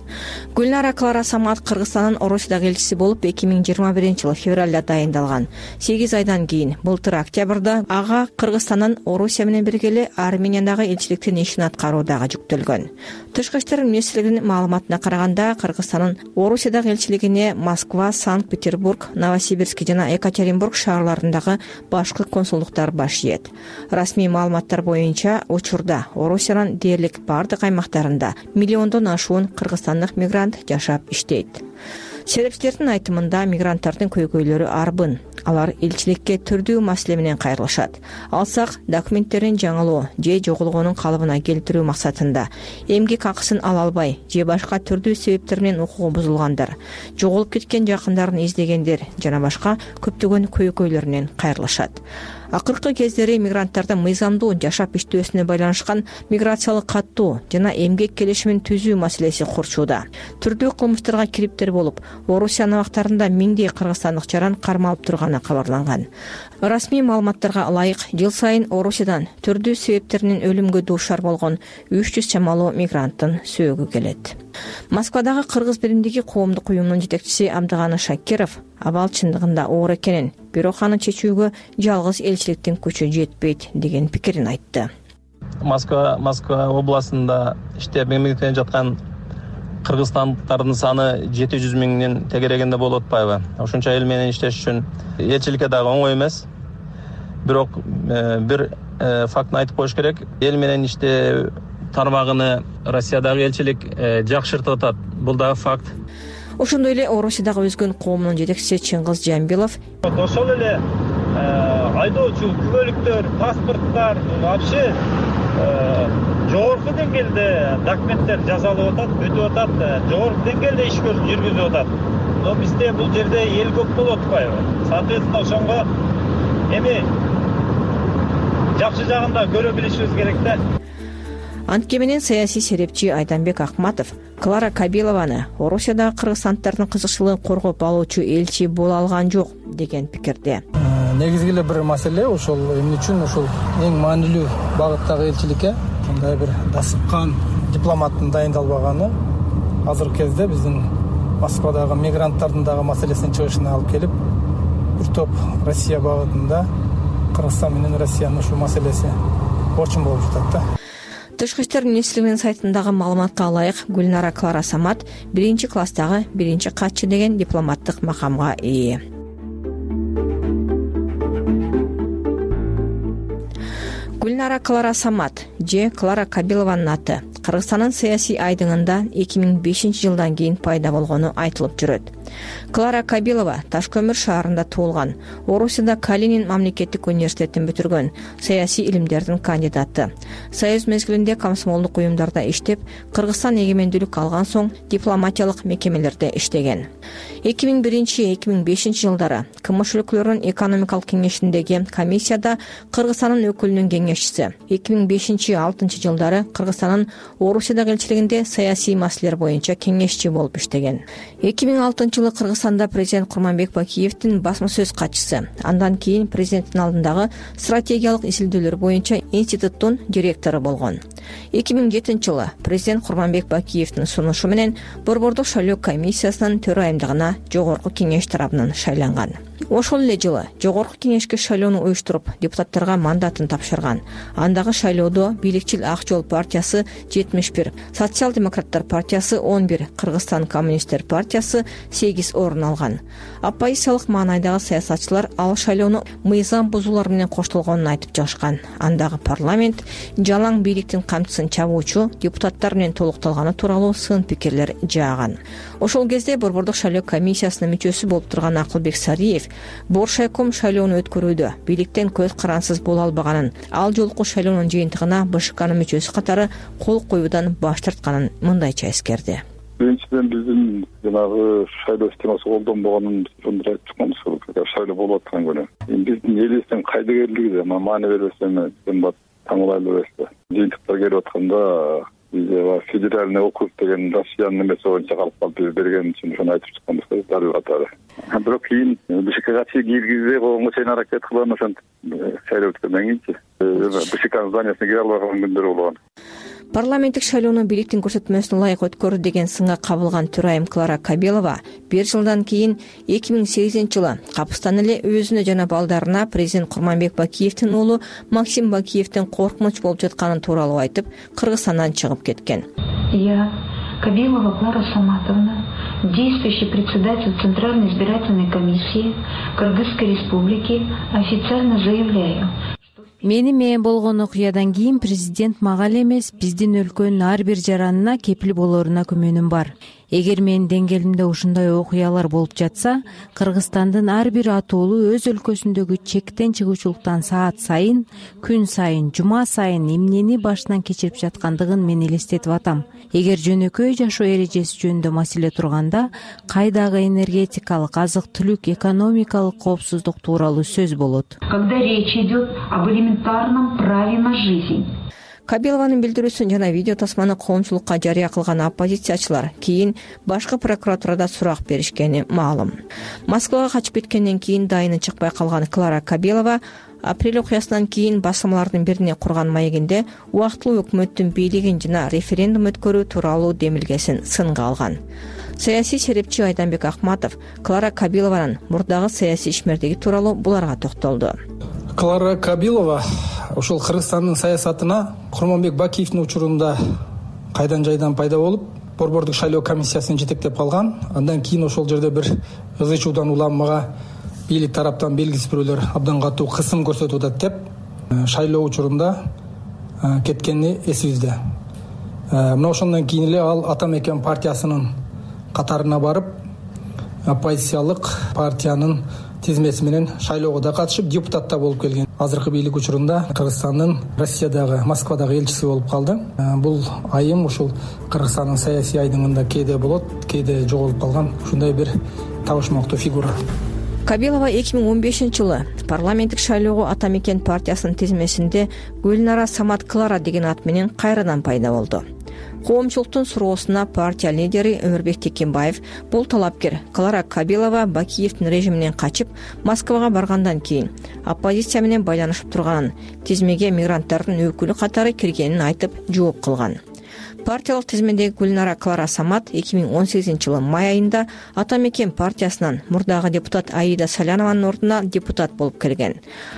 Гүлнара Клара Самат Кыргызстандын Орусиядагы элчиси болуп 2021-жылы февралда дайындалган. 8 айдан кийин былтыр октябрда ага Кыргызстандын Орусия менен биргеле Армениядагы элчиликтин ишин аткаруудагы жүктөлгөн. Тышкы иштер министрлигинин маалыматына караганда, Кыргызстандын Орусиядагы элчилигине Москва, Санкт-Петербург, Новосибирск жана Екатеринбург шаарларындагы башкы консулдуктар баш ийет. Расмий маалыматтар боюнча, учурда Орусиянын дээрлик бардык аймактарында миллиондон ашуун кыргызстандык мигрант жашап иштейт. Серепчилердин айтымында мигранттардын көйгөйлөрү арбын. Алар элчиликке түрдүү маселе менен кайрылышат. Алсак, документтерин жаңылоо же жоголгонун калыбына келтирүү максатында эмгек акысын ала албай же башка түрдүү себептер менен укугу бузулгандар, жоголуп кеткен жакындарын издегендер жана башка көптөгөн көйгөйлөрүнөн кайрылышат. Акыркы кездери мигранттардын мыйзамдуу жашап иштөөсүнө байланышкан миграциялык каттоо жана эмгек келишимин түзүү маселеси курчууда. Түрдүү кылмыштарга кириптер болуп, Орусия абактарында миңдей кыргызстандык жаран кармалып турганы кабарланган. Расмий маалыматтарга ылайык, жыл сайын Орусиядан түрдүү себептеринен өлүмгө дуушар болгон 300 чамалуу мигранттын сөөгү келет. Москвадагы кыргыз биримдиги коомдук уюмунун жетекчиси Абдыганы Шакиров абал чындыгында оор экенин, бирок аны чечүүгө жалгыз элчиликтин күчү жетпейт деген пикирин айтты. Москва областында иштеп эмгек менен жаткан кыргызстандыктардын саны 700 миңдин тегерегинде болуп атпайбы? Ошончо эл менен иштеш үчүн элчиликке дагы оңой эмес. Бирок бир фактны айтып коюш керек. Эл менен иштөө тармагыны Россиядагы элчилик жакшыртып атат. Бул дагы факт. Ошондой эле Орусиядагы өзгөн коомунун жетекчиси Чыңгыз Жамбилов ошол эле айдоочу күбөлүктөр, паспорттар вообще жогорку деңгээлде документтер жасалып атат, өтүп атат, жогорку деңгээлде иш жүргүзүп атат. Но бизде бул жерде эл көп болуп атпайбы? Соответственно, ошонго эми жакшы жагын да көрө билишибиз керек да. Антке менен саясий серепчи Айданбек Акматов Клара Кабилованы Орусиядагы кыргызстандыктардын кызыкчылыгын коргоп алуучу элчи боло алган жок деген пикирде. Негизги эле бир маселе ошол эмне үчүн ошол эң маанилүү багыттагы элчиликке мындай бир дасыккан дипломаттын дайындалбаганы азыркы кезде биздин Москвадагы мигранттардын дагы маселесин чыгышына алып келип, бир топ Россия багытында Кыргызстан менен Россиянын ушул маселеси орчун болуп жатат да. Тышкы иштер министрлигинин сайтындагы маалыматка ылайык, Гүлнара Клара Самат 1-класстагы 1-катчы деген дипломаттык макамга ээ. Гүлнара Клара Самат же Клара Кабилованын аты Кыргызстандын саясий айдыңында 2005 жылдан кийин пайда болгону айтылып жүрөт. Клара Кабилова Таш көмүр шаарында туулган. Орусияда Калинин мамлекеттик университетин бүтүргөн, саясий илимдердин кандидаты. Союз мезгилинде комсомолдук уюмдарда иштеп, Кыргызстан эгемендүүлүк алган соң дипломатиялык мекемелерде иштеген. 2001-2005 жылдары КМШ өлкөлөрүнүн экономикалык кеңешиндеги комиссияда Кыргызстандын өкүлүнүн кеңешчиси. 2005-2006 жылдары Кыргызстандын Орусиядагы элчилигинде саясий маселелер боюнча кеңешчи болуп иштеген. 2006 жылы Кыргызстанда президент Курманбек Бакиевдин басма сөз катчысы, андан кийин президенттин алдындагы стратегиялык изилдөөлөр боюнча институттун директору болгон. 2007 жылы президент Курманбек Бакиевдин сунушу менен Борбордук шайлоо комиссиясынын төрайымдыгына жогорку кеңеш тарабынан шайланган. Ошол эле жылы жогорку кеңешке шайлоону уюштуруп, депутаттарга мандатын тапшырган. Андагы шайлоодо бийликчил Ак жол партиясы 71, Социал-демократтар партиясы 11, Кыргызстан коммунисттер партиясы 8 орун алган. Оппозициялык маанайдагы саясатчылар ал шайлоону мыйзам бузуулар менен коштолгонун айтып жатышкан. Андагы парламент жалаң бийликтин камчысын чабуучу депутаттар менен толукталганы тууралуу сын пикирлер жааган. Ошол кезде Борбордук шайлоо комиссиясынын мүчөсү болуп турган Акылбек Сариев Боршайком шайлоону өткөрүүдө бийликтен көз карансыз боло албаганын, ал жолку шайлоонун жыйынтыгына БШКнын мүчөсү катары кол коюудан баш тартканын мындайча эскерди. Биринчиден биздин жанагы шайлоо системасы колдонбогонун ошондой айтып чыкканбыз. Шайлоо болуп аткан күнү. Биздин элибиздин кайдыгерлиги маани бербестен таңылайлуу эмес. Жыйынтыктар келип атканда бизде федеральный округ деген Россиянын эмеси боюнча калып берген үчүн ошону айтып чыкканбыз дарыгы катары. Бирок кийин БШКга киргизбей койгонго чейин аракет кылган, ошентип шайлоо өткөндөн кийинчи БШКнын зданиясына кире албаган күндөр болгон. Парламенттик шайлоону бийликтин көрсөтмөсүнө ылайык өткөрдү деген сынга кабылган төрайым Клара Кабилова 1 жылдан кийин 2008 жылы капыстан эле өзүнө жана балдарына президент Курманбек Бакиевдин уулу Максим Бакиевдин коркунуч болуп жатканы тууралуу айтып, Кыргызстандан чыгып кеткен. Я, Кабилова Клара Саматовна, действующий председатель Центральной избирательной комиссии Кыргызской республики, официально заявляю: Менин болгон окуядан кийин президент мага эле эмес, биздин өлкөнүн ар бир жаранына кепил болоруна күмөнүм бар. Эгер менин деңгээлимде ушундай окуялар болуп жатса, Кыргызстандын ар бир атуулу өз өлкөсүндөгү чектен чыгуучулуктан саат сайын, күн сайын, жума сайын эмнени башынан кечирип жаткандыгын мен элестетип атам. Эгер жөнөкөй жашоо эрежеси жөнүндө маселе турганда, кайдагы энергетикалык, азык-түлүк, экономикалык коопсуздук тууралуу сөз болот. Когда речь идет об элементарном праве на жизнь. Кабилованын билдирүүсүн жана видео тасманы коомчулукка жарыя кылган оппозициячылар кийин башкы прокуратурада сурак беришкени маалым. Москвага качып кеткенден кийин дайыны чыкпай калган Клара Кабилова апрель окуясынан кийин басылмалардын бирине курган маегинде убактылуу өкмөттүн бийлигин жана референдум өткөрүү тууралуу демилгесин сынга алган. Саясий серепчи Айданбек Акматов Клара Кабилованын мурдагы саясий ишмердиги тууралуу буларга токтолду. Клара Кабилова ошол Кыргызстандын саясатына Курманбек Бакиевдин учурунда кайдан жайдан пайда болуп, Борбордук шайлоо комиссиясын жетектеп калган. Андан кийин ошол жерде бир ызы-чуудан улам мага бийлик тараптан белгисиз бирөөлөр абдан катуу кысым көрсөтүп атат деп шайлоо учурунда кеткени эсибизде. Мына ошондон кийин эле ал Ата мекен партиясынын катарына барып, оппозициялык партиянын тизмеси менен шайлоого да катышып, депутат да болуп келген. Азыркы бийлик учурунда Кыргызстандын Россиядагы, Москвадагы элчиси болуп калды. Бул айым ушул Кыргызстандын саясий айдыңында кээде болот, кээде жоголуп калган ушундай бир табышмактуу фигура. Кабилова 2015 жылы парламенттик шайлоого Ата мекен партиясынын тизмесинде Гүлнара Самат Клара деген ат менен кайрадан пайда болду. Коомчулуктун суроосуна партия лидери Өмүрбек Текенбаев бул талапкер Клара Кабилова Бакиевдин режиминен качып Москвага баргандан кийин оппозиция менен байланышып турганын, тизмеге мигранттардын өкүлү катары киргенин айтып жооп кылган. Партиялык тизмедеги Гүлнара Клара Самат 2018 жылы май айында Ата мекен партиясынан мурдагы депутат Аида Салянованын ордуна депутат болуп келген.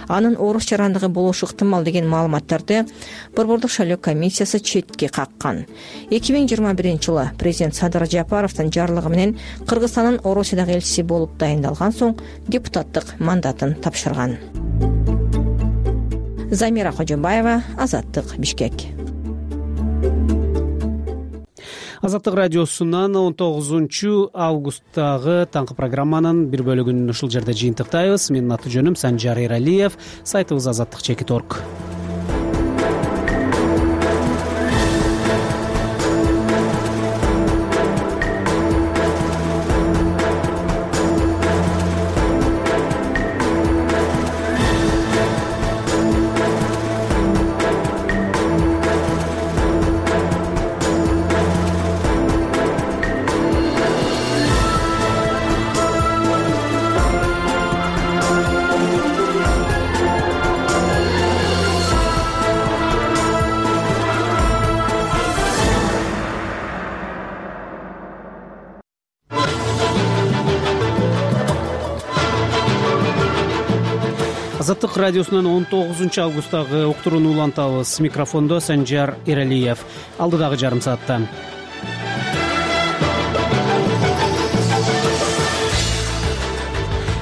Анын орус жарандыгы болушу ыктымал деген маалыматтарды Борбордук шайлоо комиссиясы четке каккан. 2021 жылы президент Садыр Жапаровдун жарлыгы менен Кыргызстандын Орусиядагы элчиси болуп дайындалган соң депутаттык мандатын тапшырган. Замира Кожобаева, Азаттык, Бишкек. Азаттык радиосунан 19 августтагы таңкы программанын бир бөлүгүн ушул жерде жыйынтыктайбыз. Менин аты жөнүм Санжар Эралиев. Сайтыбыз azаттык.org. Азаттык радиосунан 19 августтагы уктурууну улантабыз. Микрофондо Санжар Эралиев. Алдыдагы жарым саатта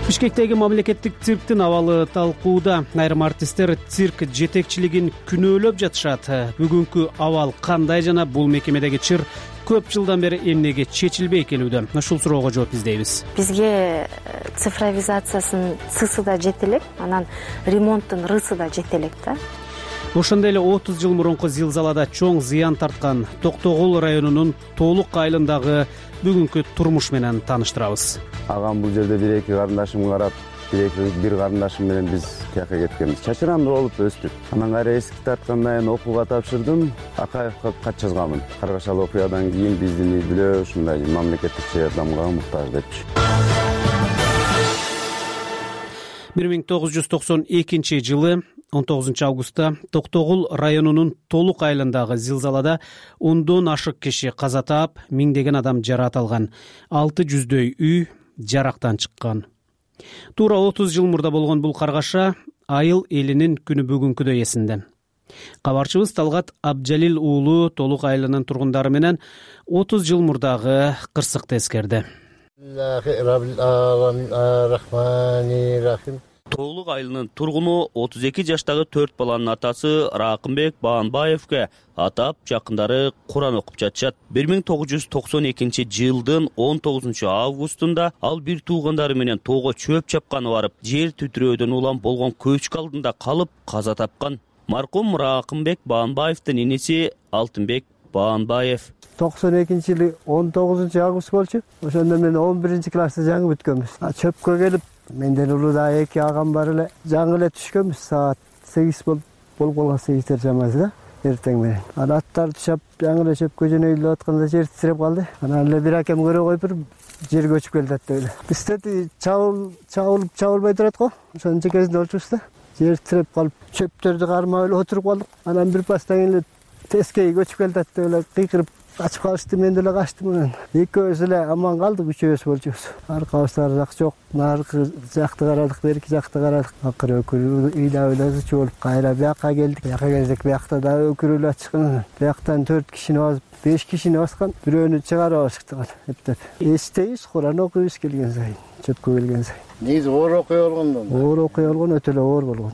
Бишкектеги мамлекеттик цирктин абалы талкууда. Айрым артисттер цирк жетекчилигин күнөөлөп жатышат. Бүгүнкү абал кандай жана бул мекемедеги чыр көп жылдан бери эмнеге чечилбей келүүдө? Ушул суроого жооп издейбиз. Бизге цифровизациясынын цысы да жете элек, анан ремонттун рысы да жете элек да. Ошондой эле 30 жыл мурунку зилзалада чоң зыян тарткан Токтогул районунун Толук айылындагы бүгүнкү турмуш менен тааныштырабыз. Агам бул жерде бир-эки карындашым карап, бир карындашым менен биз кияка кеткенбиз. Чачырандуу болуп өстүк. Анан кайра эски тарткандан кийин окууга тапшырдым. Акаевка кат жазганмын. Каргашалы окуядан кийин биздин үй бүлө ушундай мамлекеттик жардамга муктаж депчи. 1992 жылы 19 августта Токтогул районунун Толук айылындагы зилзалада 10дон ашык киши каза таап, миңдеген адам жараат алган. 600дөй үй жарактан чыккан. Туура 30 жыл мурда болгон бул каргаша айыл элинин күнү бүгүнкүдөй эсинде. Кабарчыбыз Талгат Абджалил уулу Толук айылынын тургундары менен 30 жыл мурдагы кырсыкты эскерди. Толук айылынын тургуну 32 жаштагы 4 баланын атасы Ракымбек Баанбаевке атап жакындары Куран окуп жатышат. 1992 жылдын 19 августунда ал бир туугандары менен тоого чөп чапканы барып, жер титирөөдөн улам болгон көчкү алдында калып каза тапкан. Маркум Ракымбек Баанбаевдин энеси Алтынбек Баанбаев. 92 жылы 19 август болчу. Ошондо мен 11 класста жаңы бүткөнбүз. Чөпкө келип, менден улуу эки агам бар эле. Жаңы эле түшкөнбүз, саат 8 болуп калган, 8 чамасы да, эртең менен. Анан аттар түшөп, жаңы эле чөпкө жөнөйлүп атканда жер титиреп калды. Анан эле бир акем көрө коюп, жер көчүп келди атты. Бизде чабылбай турат го. Ошонун чекесинде болчубуз да. Жер титиреп калып, чөптөрдү кармап эле отуруп калдык. Анан бир пастан кийин эле тескей көчүп келди атты, эле кыйкырып качып калышты, мен деле качтым анан. Экөөбүз эле аман калдык, үчөөбүз болчубуз. Аркабыздар жак жок, наркы жакты карадык, берки жакты карадык. Акыры өкүрүү ыйлап чуулуп кайра бияка келдик. Бияка келсек, биякта да өкүрүүлөр чыккан. Бияктан 4 кишини басып, 5 кишини баскан, бирөөнү чыгарып алышты эптеп. Эстейбиз, Куран окуйбуз келген сайын, чөпкө келген сайын. Негизи оор окуя болгондон. Оор окуя болгон, өтө эле оор болгон.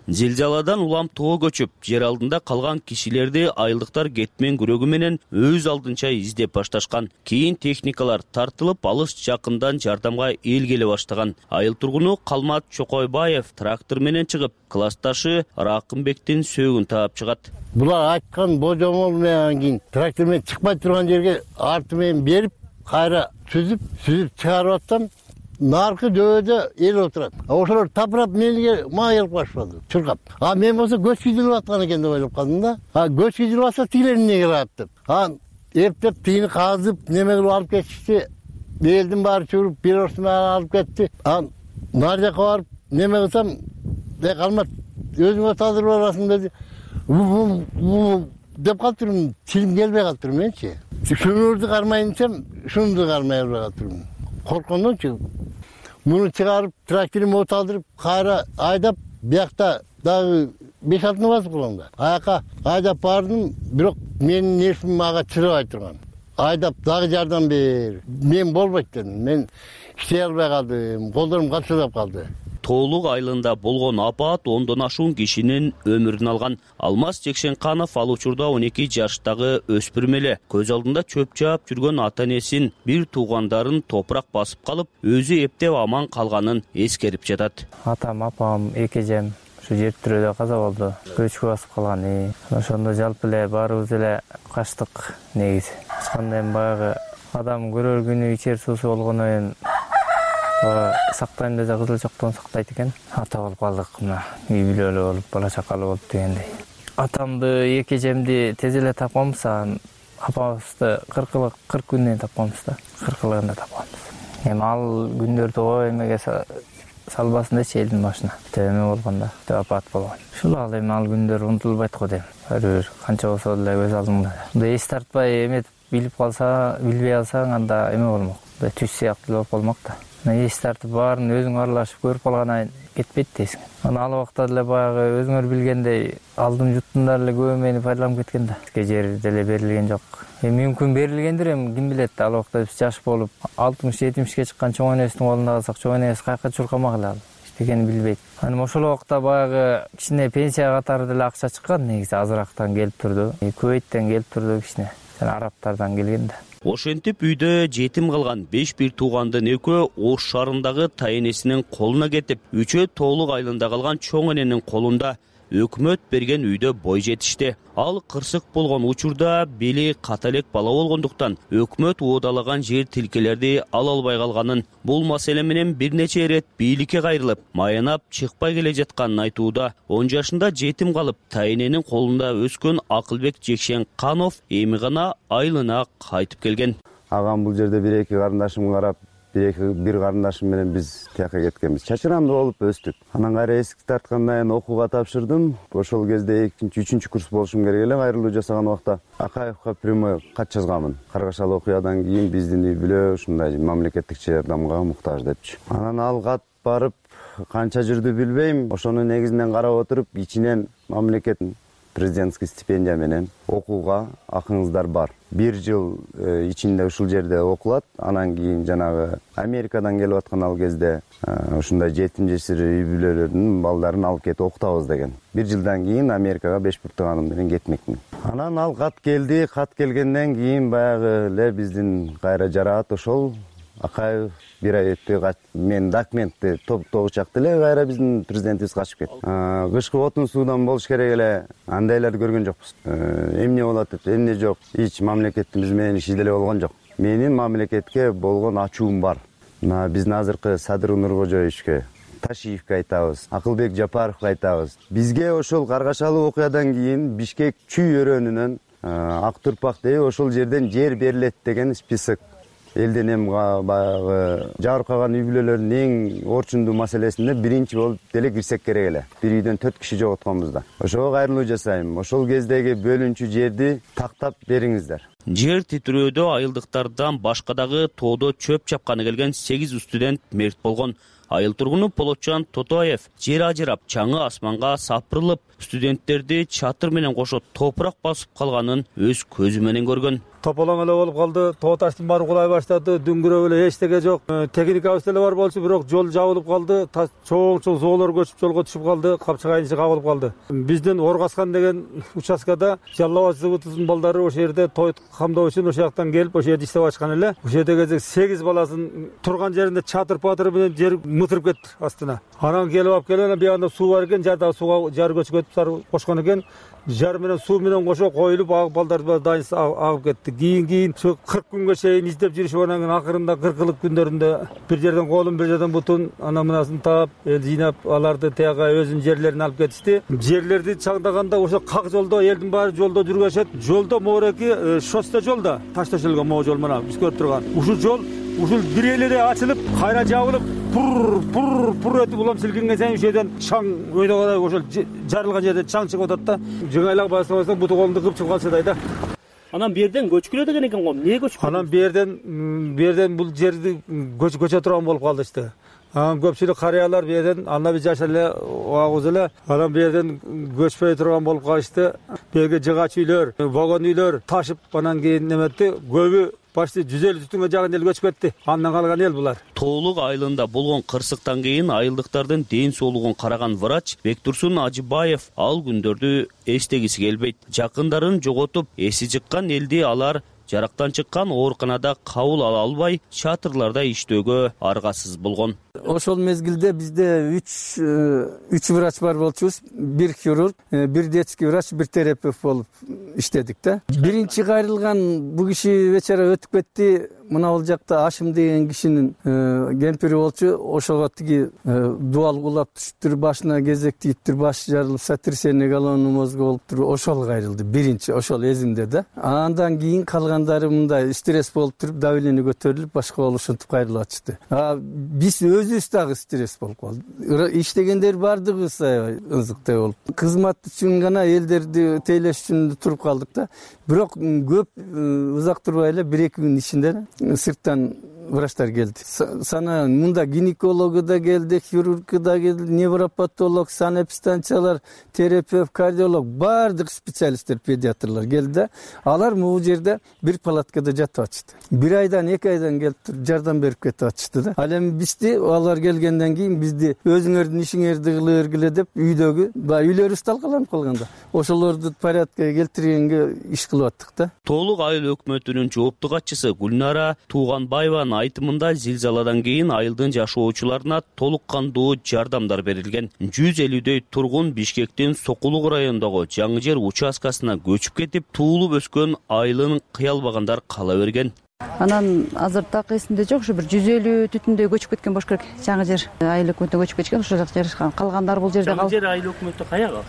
Зилзаладан улам тоо көчүп, жер алдында калган кишилерди айылдыктар кетмен күрөгү менен өз алдынча издеп башташкан. Кийин техникалар тартылып, алыс жакындан жардамга эл келе баштаган. Айыл тургуну Калмат Чокойбаев трактор менен чыгып, классташы Ракымбектин сөөгүн таап чыгат. Булар айткан божомол менен кийин трактор менен чыкпай турган жерге арты менен берип, кайра сүзүп чыгарып аттым. Наркы дөдө эл отурат. Ошолор тапырап менге майылып баштады, чуркап. Мен болсо көч кийдирип аткан экен деп ойлоп калдым да. Көч кийдирип атса тигилер эмне кылат деп. Эптеп тигини казып, неме кылып алып кетишти. Элдин баары чуруп, бир орсуна алып кетти. Нар жака барып, неме кылсам, Калмат, өзүңө тазыр барасың деди. Деп калыптырмын, тилим келбей калыптыр менчи. Шунурду кармайын десем, шунду кармай албай калыптырмын. Коркондончу. Муну чыгарып, тракторим оталдырып, кайра айдап, биякта дагы 5-6 басып калганда. Аяка айдап бардым, бирок менин нервим мага чыдабай турган. Айдап дагы жардам бер. Мен болбойт дедим. Мен иштей албай калдым, колдорум калтырдап калды. Тоолук айылында болгон апат 10дон ашуун кишинин өмүрүн алган. Алмаз Жекшенканов ал учурда 12 жаштагы өспүрүм эле. Көз алдында чөп жаап жүргөн ата-энесин, бир туугандарын топурак басып калып, өзү эптеп аман калганын эскерип жатат. Атам, апам, эки эжем ушу жер тирөөдө каза болду. Көчкү басып калган. Ошондо жалпы эле баарыбыз эле качтык негизи. Ачканда эми баягы адам көрөр күнү ичер суусу болгондон кийин сактайм десе кызыл чоктон сактайт экен. Ата болуп калдык, мына үй бүлөлүү болуп, бала чакалуу болуп дегендей. Атамды, эки эжемди тез эле тапканбыз, апабызды 40 күндөн тапканбыз да. 40-ында тапканбыз. Эми ал күндөрдү эмеге салбасын дечи элдин башына. Эме болгондо, апат болгон. Ушул эми ал күндөр унутулбайт го дейм. Бир канча болсо деле көз алдыңда. Мындай эс тартпай эметип билип калса, билбей алсаң, анда эме болмок. Мындай түз сыяктуу болуп калмак да. Эс тартып баарын өзүң аралашып көрүп калгандан кетпейт дейсиң. Ал убакта деле баягы өзүңөр билгендей алдым жуттундар эле көп мени пайдаланып кеткен да. Бизге жер деле берилген жок. Мүмкүн берилгендир, ким билет. Ал убакта биз жаш болуп 60-70ке чыккан чоң энебиздин колунда калсак, чоң энебиз каяка чуркамак эле ал. Эчтекени билбейт. Ошол убакта баягы кичине пенсия катары деле акча чыккан, негизи азырактан келип турду. Кувейттен келип турду кичине. Жана арабтардан келген да. Ошентип үйдө жетим калган 5 бир туугандын экөө Ош шаарындагы тайэнесинин колуна кетип, үчөө Тоолук айылында калган чоң эненин колунда өкмөт берген үйдө бой жетишти. Ал кырсык болгон учурда бели ката элек бала болгондуктан өкмөт уодалаган жер тилкелерди ала албай калганын, бул маселе менен бир нече ирет бийликке кайрылып, маянап чыкпай келе жатканын айтууда. 10 жашында жетим калып, тайэненин колунда өскөн Акылбек Жекшенканов эми гана айылына кайтып келген. Агам бул жерде бир-эки карындашым карап, бир карындашым менен биз тияка кеткенбиз. Чачырандуу болуп өстүк. Анан кайра эсикти тарткандан кийин окууга тапшырдым. Ошол кезде 2-3 курс болушум керек эле. Кайрылуу жасаган убакта Акаевка прямой кат жазганмын. Каргашалы окуядан кийин биздин үй бүлө ушундай мамлекеттик жардамга муктаж депчи. Анан ал кат барып канча жүрдү билбейм. Ошонун негизинен карап отуруп, ичинен мамлекет президентский стипендия менен окууга акыңыздар бар. 1 жыл ичинде ушул жерде окулат. Анан кийин жанагы Америкадан келип аткан ал кезде ушундай жетим жесир үй бүлөлөрдүн балдарын алып кетип окутабыз деген. 1 жылдан кийин Америкага 5 пуртуганым менен кетмекмин. Анан ал кат келди. Кат келгенден кийин баягы эле биздин кайра жараат ошол Акаев бир ай өтпөй мен документти тогучакты эле кайра биздин президентибиз качып кетти. Кышкы отун суудан болуш керек эле, андайларды көргөн жокпуз. Эмне болот деп, эмне жок. Эч мамлекетибиз менен иши деле болгон жок. Менин мамлекетке болгон ачуум бар. Биздин азыркы Садыр Нуркожоевичке, Ташиевке айтабыз, Акылбек Жапаровго айтабыз. Бизге ошол каргашалуу окуядан кийин Бишкек чүй өрөөнүнөн Ак Турпак деп ошол жерден жер берилет деген список. Элден эми баягы жабыркаган үй бүлөлөрдүн эң орчундуу маселесинде биринчи болуп деле кирсек керек эле. Бир үйдөн 4 киши жоготконбуз да. Ошого кайрылуу жасайм. Ошол кездеги бөлүнчү жерди тактап бериңиздер. Жер титирөөдө айылдыктардан башка дагы тоодо чөп чапканы келген 8 студент мерт болгон. Айыл тургуну Полотчан Тотоев жер ажырап, чаңы асманга сапырылып, студенттерди чатыр менен кошо топурак басып калганын өз көзү менен көргөн. Тополоң эле болуп калды, тоо таштын баары кулай баштады, дүңгүрөп эле эчтеке жок. Техникабыз деле бар болчу, бирок жол жабылып калды, чоң зоолор көчүп жолго түшүп калды, капчыгайын ичи кабылып калды. Биздин Оргаскан деген участкада Жалал Абад заводунун балдары ошол жерде той камдоо үчүн ошол жактан келип, ошол жерде иштеп ачкан эле. Ошол жердеги 8 баласын турган жеринде чатыр-патыр менен жер мытырып кетти астына. Анан келип биягында суу бар экен, жардагы сууга жар көчкөтүп кошкон экен. Жар менен суу менен кошо коюлуп, агып балдар дайын агып кетти. Кийин ушу 40 күнгө чейин издеп жүрүшүп, анан кийин акырында 40 күндөрүндө бир жерден колун, бир жерден бутун, анан мынасын таап, жыйнап, аларды тияга өзүнүн жерлерине алып кетишти. Жерлерди чаңдаганда ошо как жолдо элдин баары жолдо жүргөшөт. Жолдо моореки шоссе жолда таш төшөлгөн могу жол мына биз көрүп турган. Ушул жол бир эле ачылып, кайра жабылып, пур өтүп улам силкинген сайын ошол жерден чаң ойдогодай ошол жарылган жерден чаң чыгып атат да. Жыңайлап басып буту колунду кыпчып калсадай да. Анан бу жерден көчкүлө деген экен го. Эмне көчкүлө? Анан бу жерден бул жерди көчө турган болуп калды иште. анан көпчүлүк карыялар бу жерден анда бир жашап эле агуз эле анан бу жерден көчпөй турган болуп калышты. Берге жыгач үйлөр, вагон үйлөр ташып анан кийин неметти, көбү почти 150 түтүнгө жакын эл көчүп кетти. Андан калган эл булар. Тоолук айылында болгон кырсыктан кийин айылдыктардын ден соолугун караган врач Бектурсун Ажыбаев ал күндөрдү эстегиси келбейт. Жакындарын жоготуп, эси жыккан элди алар жарактан чыккан ооруканада кабыл ала албай, чатырларда иштөөгө аргасыз болгон. Ошол мезгилде бизде 3 врач бар болчубуз. Бир хирург, бир детский врач, бир терапевт болуп иштедик да. Биринчи кайрылган бу киши вечера өтүп кетти. Мына ал жакта Ашым деген кишинин кемпири болчу. Ошого тиги дуал кулап түшүптүр, башына кезек тийиптир, башы жарылып, сотрясение головного мозга болуптур. Ошол кайрылды. Биринчи ошол эзимде да. Андан кийин калгандары мындай стресс болуп туруп, давление көтөрүлүп, башка болуп ушинтип кайрылып атышты. Биз өзүбүз дагы стресс болуп калды. Иштегендер бардыгыбыз ызыктай болуп. Кызмат үчүн гана элдерди тейлеш үчүн туруп калдык да. Бирок көп узак турбай эле 1-2 күн ичинде сырттан врачтар келди. Сана мында гинекологу да келди, хирург да келди, невропатолог, санэпистанциялар, терапевт, кардиолог, бардык специалисттер, педиатрлар келди. Алар могу жерде бир палаткада жатып атышты. 1 айдан 2 айдан келип туруп жардам берип кетип атышты да. Ал эми бизди алар келгенден кийин бизди өзүңөрдүн ишиңерди кылыргыле деп үйдөгү үйлөрүбүз талкаланып калганда ошолорду порядкага келтиргенге иш кылып аттык да. Тоолук айыл өкмөтүнүн жоопту катчысы Гүлнара Тууганбаеванын айтымында зилзаладан кийин айылдын жашоочуларына толук кандуу жардамдар берилген. 150дөй тургун Бишкектин Сокулук районундагы Жаңы Жер участкасына көчүп кетип, туулуп өскөн айылын кыя албагандар кала берген. Анан азыр так эсимде жок, ушу бир 150 түтүндөй көчүп кеткен болуш керек. Жаңы Жер айыл өкмөтүнө көчүп кеткен, ошол жакта жашаган. Калгандар бул жерде Жаңы Жер айыл өкмөтү каяга?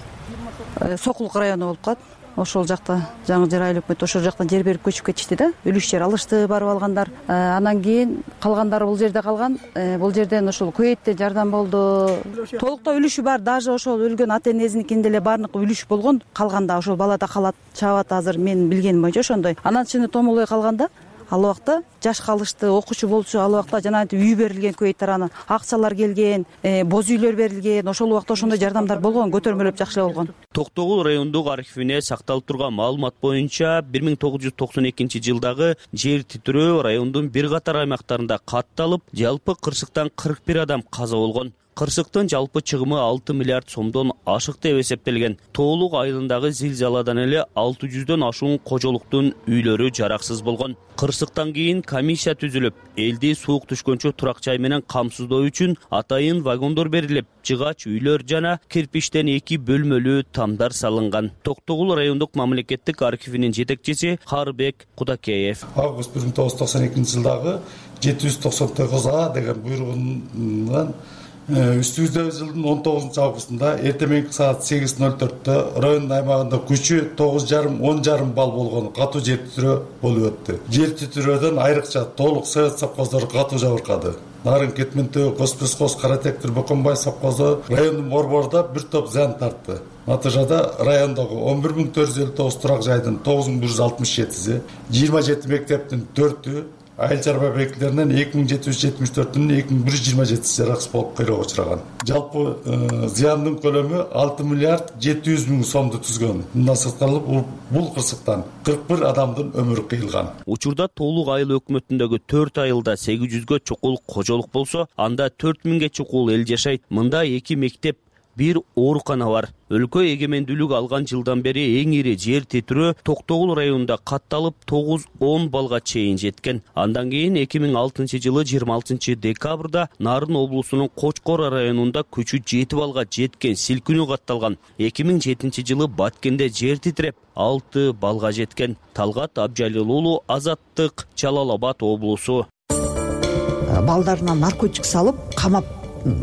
Сокулук району болуп калат. Ошол жакта Жаңы Жер айыл өкмөтү ошол жактан жер берип көчүп кетишти да. Үлүш жер алышты, барып алгандар. Анан кийин калгандары бул жерде калган. Бул жерден ошол Куэйттен жардам болду. Толуктоо үлүшү бар, даже ошол өлгөн ата энесиникинде эле баардык үлүш болгон. Калганда ошол балада калат, чабат азыр менин билгеним боюнча ошондой. Анан чыны томолой калганда ал убакта жаш калышты, окуучу болчу, ал убакта жанагынтип үй берилген Куэйт тарабынан, акчалар келген, боз үйлөр берилген. Ошол убакта ошондой жардамдар болгон, көтөрмөлөп жакшы болгон. Токтогул райондук архивине сакталып турган маалымат боюнча 1992 жылдагы жер титирөө райондун бир катар аймактарында катталып, жалпы кырсыктан 41 адам каза болгон. Кырсыктын жалпы чыгымы 6 миллиард сомдон ашык деп эсептелген. Тоолук айылындагы зилзаладан эле 600дөн ашуун кожолуктун үйлөрү жараксыз болгон. Кырсыктан кийин комиссия түзүлүп, элди суук түшкөнчө турак жай менен камсыздоо үчүн атайын вагондор берилип, жыгач үйлөр жана кирпичтен 2 бөлмөлүү тамдар салынган. Токтогул райондук мамлекеттик архивинин жетекчиси Карбек Кудакеев. Август 1992 жылдагы 799А деген буйругунан үстүбүздө жылдын 19 августунда эртең саат 8:04 район аймагында күчү 9,5–10,5 балл болгон катуу жер титирөө болуп өттү. Жер титирөөдөн айрыкча толук совет совхоздору катуу жабыркады. Нарын Кетментөө, Госпесхоз, Каратектир, Боконбай совхозу райондун борборунда бир топ зыян тартты. Натыйжада райондогу 11.459 турак жайдын 9.167-си, 27 мектептин 4-ү, айыл чарба объектилеринен 2774-ünүн 2127-си жараксыз болуп кыйроого учураган. Жалпы зыяндын көлөмү 6 миллиард 700 миң сомду түзгөн. Мындан сырткары бул кырсыктан 41 адамдын өмүрү кыйылган. Учурда Тоолук айыл өкмөтүндөгү 4 айылда 800гө чукул кожолук болсо, анда 4000ге чукул эл жашайт. Мында 2 мектеп, бир оорукана бар. Өлкө эгемендүүлүк алган жылдан бери эң ири жер титирөө Токтогул районунда катталып 9-10 балга чейин жеткен. Андан кийин 2006 жылы 26 декабрда Нарын облусунун Кочкор районунда күчү 7 балга жеткен силкинүү катталган. 2007 жылы Баткенде жер титиреп 6 балга жеткен. Талгат Абжалил уулу, Азаттык, Жалал Абад облусу. Балдарына наркотик салып, камап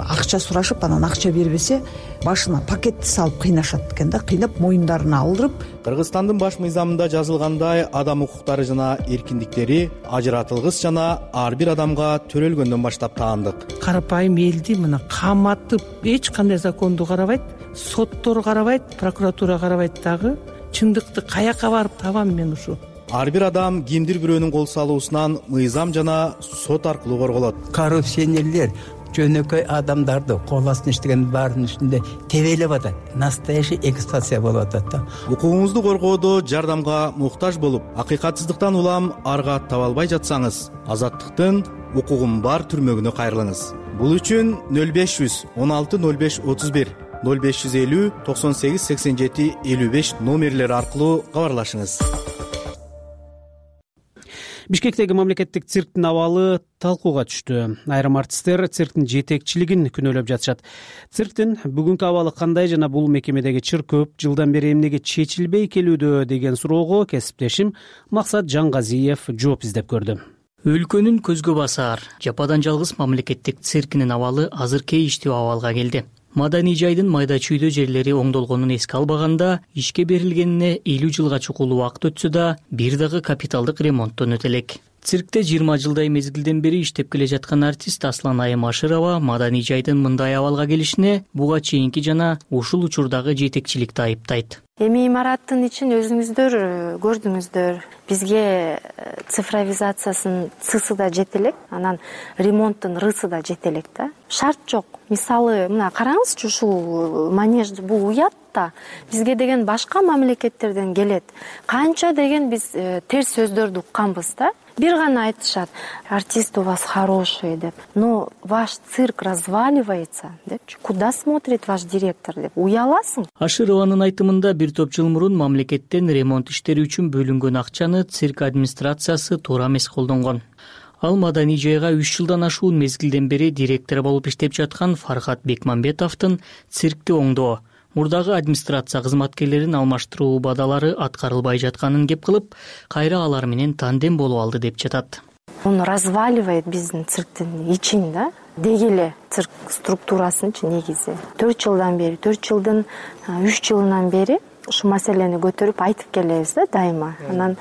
акча сурашып, анан акча бербесе башына пакетти салып кыйнашат экен да, кыйнап моюндарына алдырып. Кыргызстандын баш мыйзамында жазылгандай адам укуктары жана эркиндиктери ажыратылгыс жана ар бир адамга төрөлгөндөн баштап таандык. Карапайым элди мына каматып, эч кандай законду карабайт, соттор карабайт, прокуратура карабайт дагы. Чындыкты каяка барып табам мен ушу? Ар бир адам кимдир бирөөнүн кол салуусунан мыйзам жана сот аркылуу корголот. Коррупционерлер жөнөкөй адамдарды кол астына иштеген баарынын үстүндө тебелеп атат. Настоящий эксплуатация болуп атат да. Укугуңузду коргоодо жардамга муктаж болуп, акыйкатсыздыктан улам арга таба албай жатсаңыз, Азаттыктын укугум бар түрмөгүнө кайрылыңыз. Бул үчүн 0500 16 05 31 0550 98 87 55 номерлери аркылуу кабарлашыңыз. Бишкектеги мамлекеттик цирктин абалы талкууга түштү. Айрым артисттер цирктин жетекчилигин күнөөлөп жатышат. Цирктин бүгүнкү абалы кандай жана бул мекемедеги чыр көп жылдан бери эмнеге чечилбей келүүдө деген суроого кесиптешим Максат Жаңгазиев жооп издеп көрдү. Өлкөнүн көзгө басар, жападан жалгыз мамлекеттик циркинин абалы азыр кейиштүү абалга келди. Маданий жайдын майда чүйдө жерлери оңдолгонун эске албаганда, ишке берилгенине 50 жылга чукул убакыт өтсө да, бир дагы капиталдык ремонттон өтө элек. Циркте 20 жылдай мезгилден бери иштеп келе жаткан артист Аслан Айым Ашырова маданий жайдын мындай абалга келишине буга чейинки жана ушул учурдагы жетекчиликти айыптайт. Эми имараттын ичин өзүңүздөр көрдүңүздөр. Бизге цифровизациясынын цысы да жете элек, анан ремонттун рысы да жете элек да. Шарт жок. Мисалы, мына караңызчы, ушул манеж бул уят да. Бизге деген башка мамлекеттерден келет. Канча деген биз терс сөздөрдү укканбыз да. Бир гана айтышат: артист у вас хороший деп. Но ваш цирк разваливается депчи. Куда смотрит ваш директор деп. Уяласың. Ашырованын айтымында бир топ жыл мурун мамлекеттен ремонт иштери үчүн бөлүнгөн акчаны цирк администрациясы туура эмес колдонгон. Ал маданий жайга 3 жылдан ашуун мезгилден бери директор болуп иштеп жаткан Фархат Бекмамбетовдун циркти оңдоо, мурдагы администрация кызматкерлерин алмаштыруу убадалары аткарылбай жатканын кеп кылып, кайра алар менен тандем болуп алды деп жатат. Он разваливает биздин цирктин ичин да. Дегеле цирк структурасынчы негизи. 4 жылдан бери, 4 жылдын 3 жылынан бери ушу маселени көтөрүп айтып келебиз да дайыма. Анан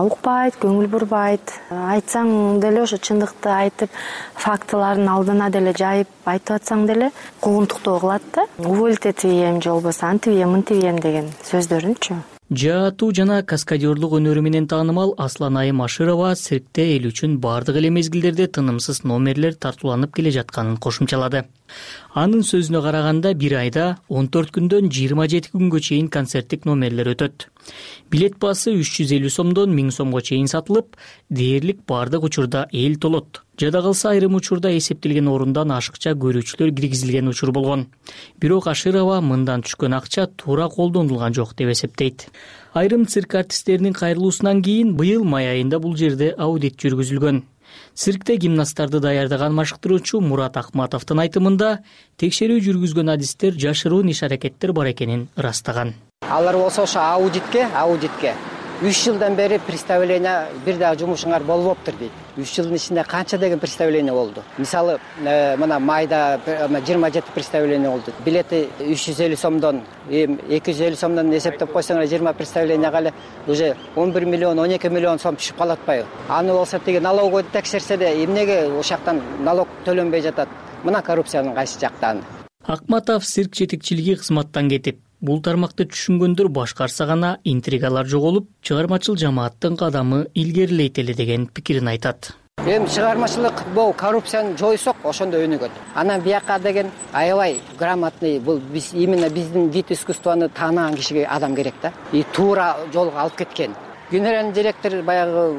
укпайт, көңүл бурбайт. Айтсаң деле ошо чындыкты айтып, фактылардын алдына деле жайып айтып атсаң деле куугунтуктоо кылат да. Уволить этием же болбосо антибием, мынтибием деген сөздөрүнчү. Жаатуу жана каскадерлук өнөрү менен таанымал Аслан Айым Ашырова циркте эл үчүн бардык эле мезгилдерде тынымсыз номерлер тартууланып келе жатканын кошумчалады. Анын сөзүнө караганда бир айда 14 күндөн 27 күнгө чейин концерттик номерлер өтөт. Билет баасы 350 сомдон 1000 сомго чейин сатылып, дээрлик бардык учурда эл толот. Жада калса айрым учурда эсептелген орундан ашыкча көрүүчүлөр киргизилген учур болгон. Бирок Ашырова мындан түшкөн акча туура колдонулган жок деп эсептейт. Айрым цирк артисттеринин кайрылуусунан кийин быйыл май айында бул жерде аудит жүргүзүлгөн. Циркте гимнасттарды даярдаган машыктыруучу Мурат Акматовдун айтымында текшерүү жүргүзгөн адистер жашыруун иш-аракеттер бар экенин ырастаган. Алар болсо ошо аудитке 3 жылдан бери представление бир дагы жумушуңар болбоптур дейт. 3 жылдын ичинде канча деген представление болду. Мисалы, мына майда 27 представление болду. Билети 350 сомдон, 250 сомдон эсептеп койсоңар 20 представленияга эле уже 11 миллион, 12 миллион сом түшүп калат атпайбы? Аны болсо теги налоговый текшерсе де эмнеге ошактан налог төлөнбөй жатат? Мына коррупциянын кайсы жактан. Акматов цирк жетекчилиги кызматтан кетип, бул тармакты түшүнгөндөр башкарса гана интригалар жоголуп, чыгармачыл жамааттын кадамы илгерилейт эле деген пикирин айтат. Эми чыгармачылык бул коррупцияны жойсок, ошондо өнүгөт. Анан бияка деген аябай грамотный, бул именно биздин вид искусствону таанаган кишиге адам керек да. И туура жолго алып кеткен. Генеральный директор баягы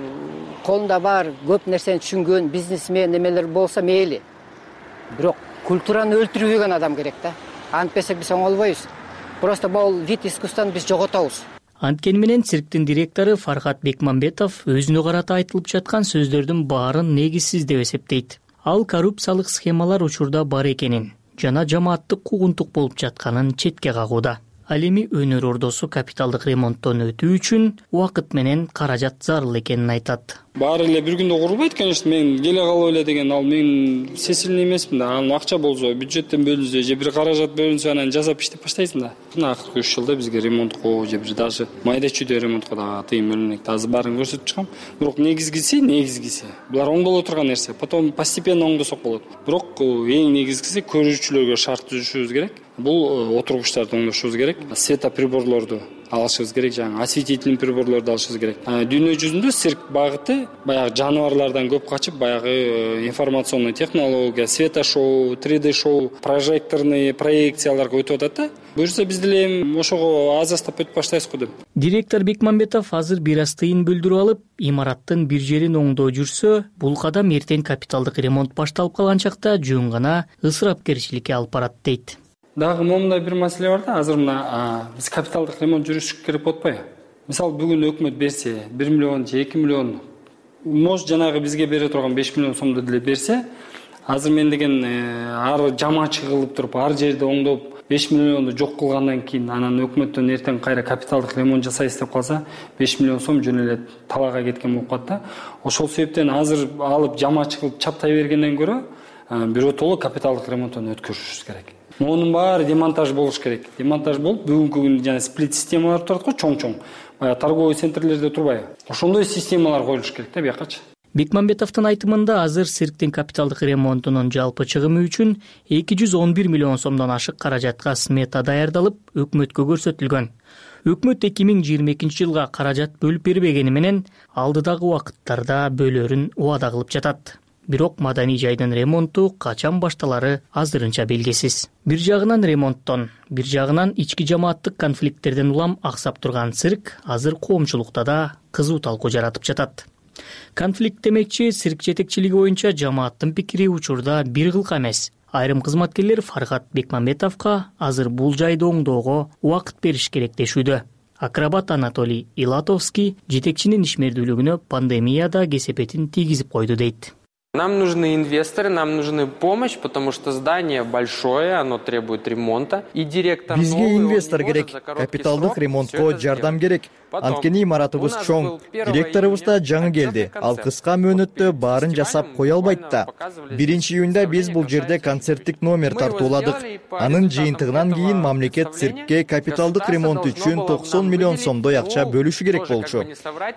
колунда бар көп нерсени түшүнгөн бизнесмен эмелер болсо мейли. Бирок культураны өлтүрбөгөн адам керек да. Антпесек биз оңолбойбуз. Просто бул вид искусствону биз жоготобуз. Анткени менен цирктин директору Фархат Бекмамбетов өзүнө карата айтылып жаткан сөздөрдүн баарын негизсиз деп эсептейт. Ал коррупциялык схемалар учурда бар экенин жана жамааттык куугунтук болуп жатканын четке кагууда. Ал эми өнөр ордосу капиталдык ремонттон өтүү үчүн убакыт менен каражат зарыл экенин айтат. Баары эле бир күндө курулбайт, конечно, мен келе калып эле деген ал мен сесилин эмесмин да. Анын акча болсо, бюджеттен бөлүнсө же бир каражат бөлүнсө анан жасап иштеп баштайсың да. Мына акыркы 3 жылда бизге ремонтко же бир даже майда чүйдө ремонтко да тыйым бөлүнөт. Азыр баарын көрсөтүп чыгам. Бирок негизгиси булар оңдоло турган нерсе. Потом постепенно оңдосок болот. Бирок эң негизгиси көрүүчүлөргө шарт түзүшүбүз керек. Бул отургучтарды оңдошубуз керек. Светоприборлорду алышыбыз керек, жаңы осветительный приборлорду алышыбыз керек. Дүйнө жүзүндө цирк багыты баягы жаныбарлардан көп качып, баягы информационный технология, светошоу, 3D шоу, прожекторный проекцияларга өтүп атат да. Буюрса биз деле ошого аз астап өтүп баштайбыз го деп. Директор Бекмамбетов азыр бир аз тыйын бөлдүрүп алып, имараттын бир жерин оңдоо жүрсө, бул кадам эртең капиталдык ремонт башталып калган чакта жөн гана ысырапкерчиликке алып барат дейт. Дагы момундай бир маселе бар да, азыр мына биз капиталдык ремонт жүргүзүш керек болуп атпайбы? Мисалы бүгүн өкмөт берсе 1 миллион же 2 миллион, может жанагы бизге бере турган 5 миллион сомду деле берсе, азыр мен деген ар жамаачы кылып туруп, ар жерди оңдоп 5 миллионду жок кылгандан кийин анан өкмөттөн эртең кайра капиталдык ремонт жасайбыз деп калса, 5 миллион сом жөн эле талаага кеткен болуп калат да. Ошол себептен азыр алып жамаачы кылып чаптай бергенден көрө биротоло капиталдык ремонттон өткөрүшүбүз керек. Монун баары демонтаж болуш керек. Демонтаж болуп, бүгүнкү күндө жана сплит системалар турат го, чоң-чоң. Баягы торговый центрлерде турбайбы? Ошондой системалар коюлуш керек да биякачы. Бекмамбетовдун айтымында азыр цирктин капиталдык ремонтунун жалпы чыгымы үчүн 211 миллион сомдон ашык каражатка смета даярдалып, өкмөткө көрсөтүлгөн. Өкмөт 2022-жылга каражат бөлүп бербегени менен алдыдагы убакыттарда бөлөрүн убада кылып жатат. Бирок маданий жайдын ремонту качан башталары азырынча белгисиз. Бир жагынан ремонттон, бир жагынан ички жамааттык конфликттерден улам аксап турган цирк азыр коомчулукта да кызуу талкуу жаратып жатат. Конфликт демекчи, цирк жетекчилиги боюнча жамааттын пикири учурда бир кылка эмес. Айрым кызматкерлер Фаргат Бекмамбетовго азыр бул жайды оңдоого убакыт бериш керек дешүүдө. Акробат Анатолий Илатовский жетекчинин ишмердүүлүгүнө пандемияда кесепетин тийгизип койду дейт. Нам нужны инвесторы, нам нужны помощь, потому что здание большое, оно требует ремонта. И директор бизге инвестор керек, капиталдык ремонтко жардам керек. Анткени имаратыбыз чоң, директорубуз да жаңы келди. Ал кыска мөөнөттө баарын жасап кое албайт да. 1-июнда биз бул жерде концерттик номер тартууладык. Анын жыйынтыгынан кийин мамлекет циркке капиталдык ремонт үчүн 90 миллион сомдой акча бөлүшү керек болчу.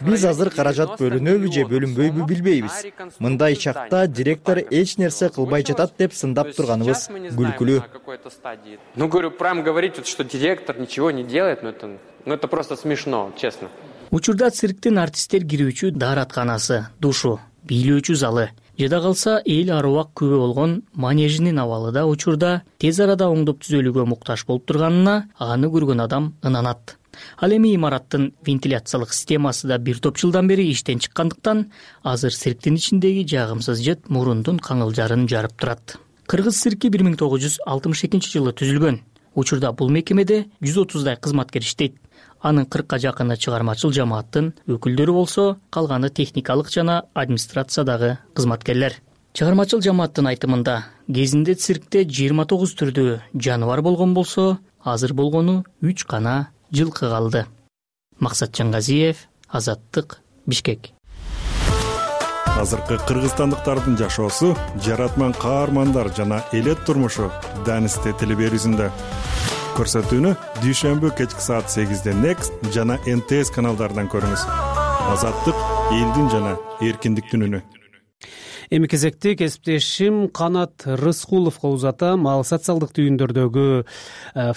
Биз азыр каражат бөлүнөбү же бөлүнбөйбү билбейбиз. Мындай чакта директор эч нерсе кылбай жатат деп сындап турганыбыз күлкүлүү. Ну, говорю, прям говорить, что директор ничего не делает, но это просто смешно, честно. Учурда цирктин артисттер кирүүчү дааратканасы, душу, бийлөөчү залы, жада калса эл аруак күбө болгон манежинин абалы да учурда тез арада оңдоп түзөлүүгө муктаж болуп турганына аны көргөн адам ынанат. Ал эми имараттын вентиляциялык системасы да бир топ жылдан бери иштен чыккандыктан азыр цирктин ичиндеги жагымсыз жыт мурундун каңылжарын жарып турат. Кыргыз цирки 1962-жылы түзүлгөн. Учурда бул мекемеде 130дай кызматкер иштейт. Анын 40ка жакыны чыгармачыл жамааттын өкүлдөрү болсо, калганы техникалык жана администрациядагы кызматкерлер. Чыгармачыл жамааттын айтымында, кезинде циркте 29 түрдүү жаныбар болгон болсо, азыр болгону 3 гана жылкы калды. Максат Жаңгазиев, Азаттык, Бишкек. Азыркы кыргызстандыктардын жашоосу, жаратман каармандар жана элет турмушу Данисте телеберүүсүндө. Көрсөтүүнү дүйшөмбү кечки саат 8-де Next жана НТС каналдарынан көрүңүз. Азаттык элдин жана эркиндиктин үнү. Эми кезекти кесиптешим Канат Рыскуловго узатам. Ал социалдык түйүндөрдөгү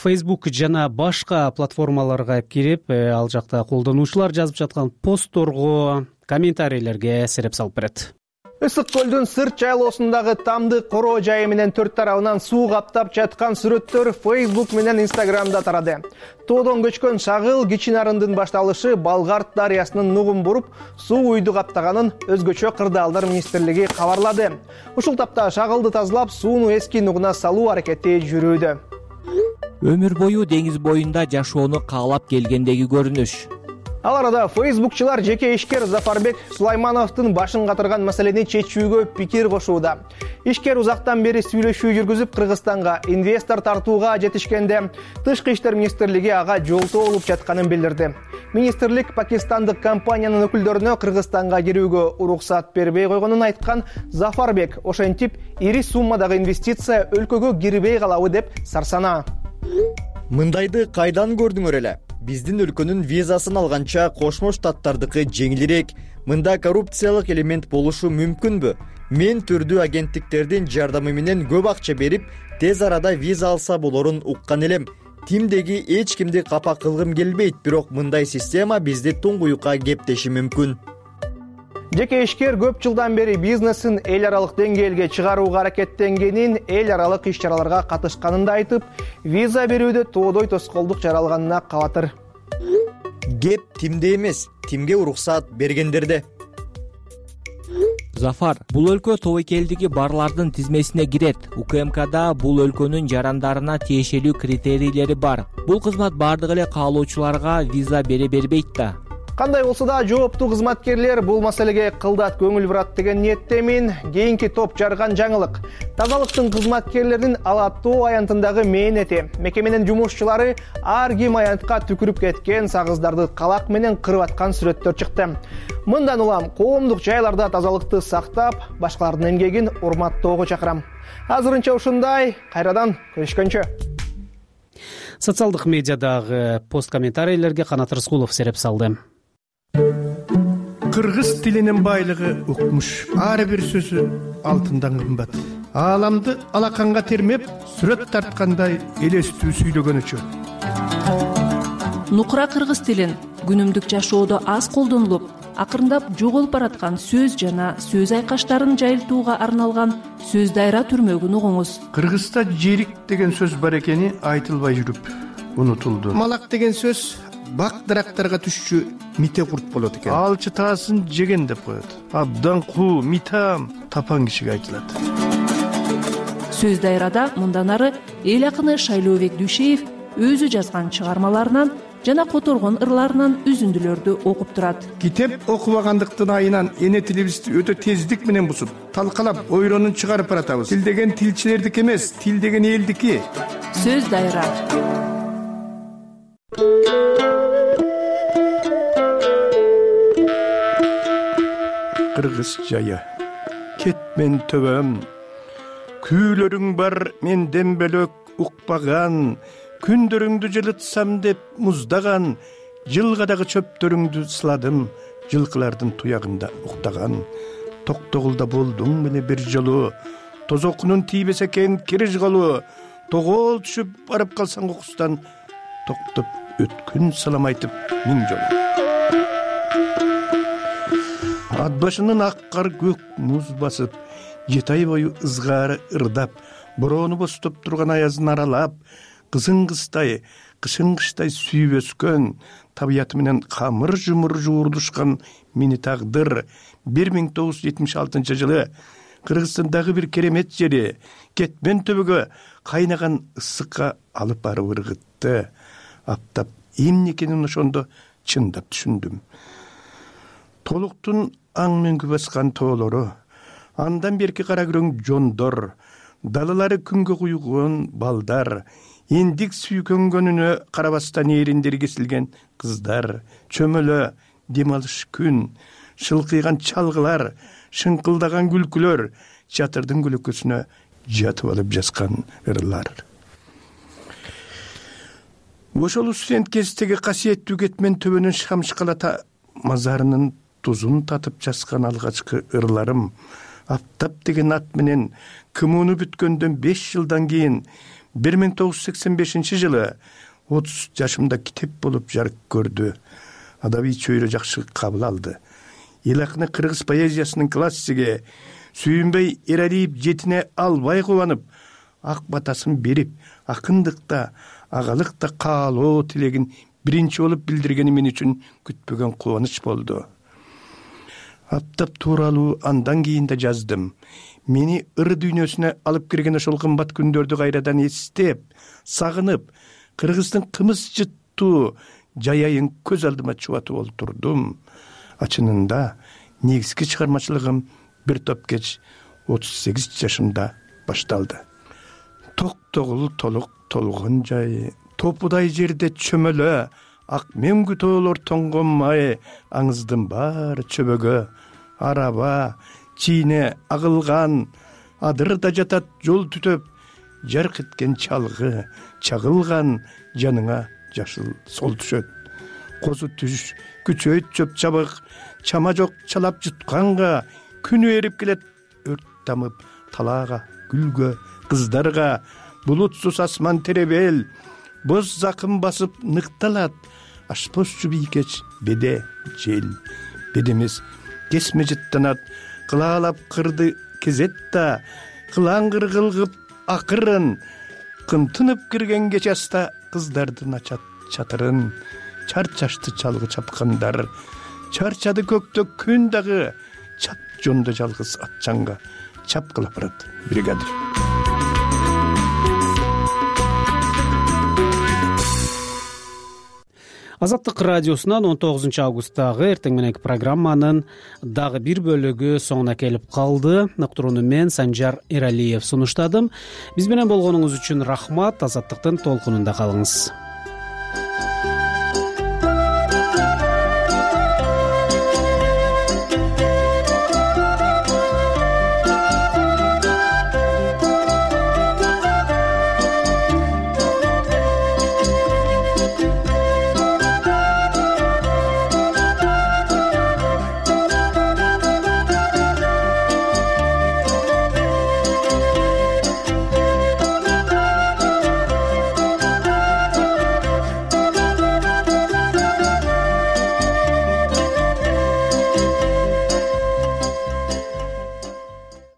Facebook жана башка платформаларга кирип, ал жакта колдонуучулар жазып жаткан постторго, комментарийлерге сереп салып берет. Ысык көлдүн сырт жайлоосундагы тамды короо жайы менен төрт тарабынан суу каптап жаткан сүрөттөр Facebook менен Instagramда тарады. Тоодон көчкөн шагыл кичи нарындын башталышы Балгарт дарыясынын нугун буруп, суу үйдү каптаганын өзгөчө кырдаалдар министрлиги кабарлады. Ушул тапта шагылды тазалап, сууну эски нугуна салуу аракети жүрүүдө. Өмүр бою деңиз боюнда жашоону каалап келгендеги көрүнүш. Ал арада фейсбукчулар жеке ишкер Зафарбек Сулаймановдун башын катырган маселени чечүүгө пикир кошууда. Ишкер узактан бери сүйлөшүү жүргүзүп, Кыргызстанга инвестор тартууга жетишкенде, Тышкы иштер министрлиги ага жолтоо болуп жатканын билдирди. Министрлик пакистандык компаниянын өкүлдөрүнө Кыргызстанга кирүүгө уруксат бербей койгонун айткан Зафарбек ошентип ири суммадагы инвестиция өлкөгө кирбей калабы деп сарсанаа. Мындайды кайдан көрдүңөр эле? Биздин өлкөнүн визасын алганча Кошмо Штаттардыкы жеңилирээк. Мында коррупциялык элемент болушу мүмкүнбү? Мен түрдүү агенттиктердин жардамы менен көп акча берип, тез арада виза алса болорун уккан элем. тимдеги эч кимди капа кылгым келбейт, бирок мындай система бизди туңгуюкка кептеши мүмкүн. Жеке ишкер көп жылдан бери бизнесин эл аралык деңгээлге чыгарууга аракеттенгенин, эл аралык иш-чараларга катышканын да айтып, виза берүүдө тоодой тоскоолдук жаралганына кабатыр. Кеп тимде эмес, тимге уруксат бергендерде. Зафар, бул өлкө тобокелдиги барлардын тизмесине кирет. УКМКда бул өлкөнүн жарандарына тиешелүү критерийлери бар. Бул кызмат бардык эле каалоочуларга виза бере бербейт да. Кандай болсо да жооптуу кызматкерлер бул маселеге кылдат көңүл бурат деген ниеттемин. Кийинки топ жарган жаңылык. Тазалыктын кызматкерлеринин алаттуу аянтындагы мээнети. Мекеменин жумушчулары ар ким аянтка түкүрүп кеткен сагыздарды калак менен кырып аткан сүрөттөр чыкты. Мындан улам коомдук жайларда тазалыкты сактап, башкалардын эмгегин урматтоого чакырам. Азырынча ушундай, кайрадан көрүшкөнчө. Социалдык медиадагы пост комментарийлерге Канат Рыскулов сереп салды. Кыргыз тилинин байлыгы укмуш. Ар бир сөзү алтындан кымбат. Ааламды алаканга термеп, сүрөт тарткандай элестүү сүйлөгөнүчө. Нукура кыргыз тилин күнүмдүк жашоодо аз колдонулуп, акырындап жоголуп бараткан сөз жана сөз айкаштарын жайылтууга арналган сөз дайра түрмөгүн угуңуз. Кыргызда жерик деген сөз бар экени айтылбай жүрүп унутулду. Малак деген сөз бак дарактарга түшчү мите курт болот экен. Алчы таасын жеген деп коет. Абдан куу, митам тапан кишиге айтылат. Сөз дайрада мындан ары эл акыны Шайлообек Дүйшеев өзү жазган чыгармаларынан жана которгон ырларынан үзүндүлөрдү окуп турат. Китеп окубагандыктын айынан эне тилибизди өтө тездик менен бузуп, талкалап, ойронун чыгарып баратабыз. Тил деген тилчилердики эмес, тил деген элдики. Сөз дайра. Кыргыз жайы. Кетмен төбөм. Күүлөрүң бар менден бөлөк укпаган. Күндөрүңдү жылытсам деп муздаган, жылгадагы чөптөрүңдү сыладым, жылкылардын туягында уктаган. Токтогулда болдуң мени бир жолу, тозокунун тийбесе экен кириш колу, тогол түшүп барып калсаң окустан, токтоп өткүн салам айтып миң жолу. Ат башынын ак кар көк муз басып, 7 ай бою ызгаары ырдап, бороону бостоп турган аязын аралап, кызың кыздай, кышың кыштай сүйүп өскөн, табияты менен камыр жумур жуурдушкан мени тагдыр 1976 жылы Кыргызстандагы бир керемет жери Кетмен төбөгө кайнаган ысыкка алып барып ыргытты. Аптап эмне экенин ошондо чындап түшүндүм. Толуктун аң мөңгү баскан тоолору, андан берки кара күрөң жондор, далалары күнгө куйгон балдар, индик сүйкөнгөнүнө карабастан эриндери кесилген кыздар, чөмөлө дем алыш күн, шылкыйган чалгылар, шыңкылдаган күлкүлөр, чатырдын көлөкөсүнө жатып алып жазган ырлар. Ошол студент кездеги касиеттүү Кетмен төбөнүн шамшкалата мазарынын тузун татып жазган алгачкы ырларым, Аптап деген ат менен кымууну бүткөндөн 5 жылдан кийин 1985 жылы 30 жашымда китеп болуп жарык көрдү. Адабий чөйрө жакшы кабыл алды. Эл акыны кыргыз поэзиясынын классиги Сүйүнбөй Эралиев жетине албай кубанып, ак батасын берип, акындыкта, агалыкта каалоо тилегин биринчи болуп билдиргени мен үчүн күтпөгөн кубаныч болду. Аптап тууралуу андан кийин да жаздым. Мени ыр дүйнөсүнө алып кирген ошол кымбат күндөрдү кайрадан эстеп, сагынып, Кыргыздын кымыз жыттуу жайайын көз алдыма чубатып олтурдум. Ачынында негизги чыгармачылыгым бир топ кеч 38 жашымда башталды. Токтогул толук толгон жай, топудай жерде чөмөлө, ак мөңгү тоолор тоңгонмай, аңыздын баары чөбөгө, араба, чийне агылган, адырда жатат жол түтөп, жарк эткен чалгы, чагылган жаныңа жашыл сол түшөт. Козу түш, күчөйт чөп чабык, чама жок чалап жутканга, күнү эрип келет өрт тамып талаага, гүлгө, кыздарга, булутсуз асман теребел, боз закым басып ныкталат. Ашпозчу бийкеч беде жел, бедемес кесме жыттанат. Кылаалап кырды кезетта, кылаңгыр кылгып акырын. Кымтынып кирген кечаста кыздардын ачат чатырын. Чарчашты чалгы чапкандар, чарчады көктө күн дагы. Чат жонду жалгыз атчанга чапкылап барат бригадир. Азаттык радиосунан 19 августтагы эртең мененки программанын дагы бир бөлүгү соңуна келип калды. Уктурууну мен Санжар Эралиев сунуштадым. Биз менен болгонуңуз үчүн рахмат. Азаттыктын толкунунда калыңыз.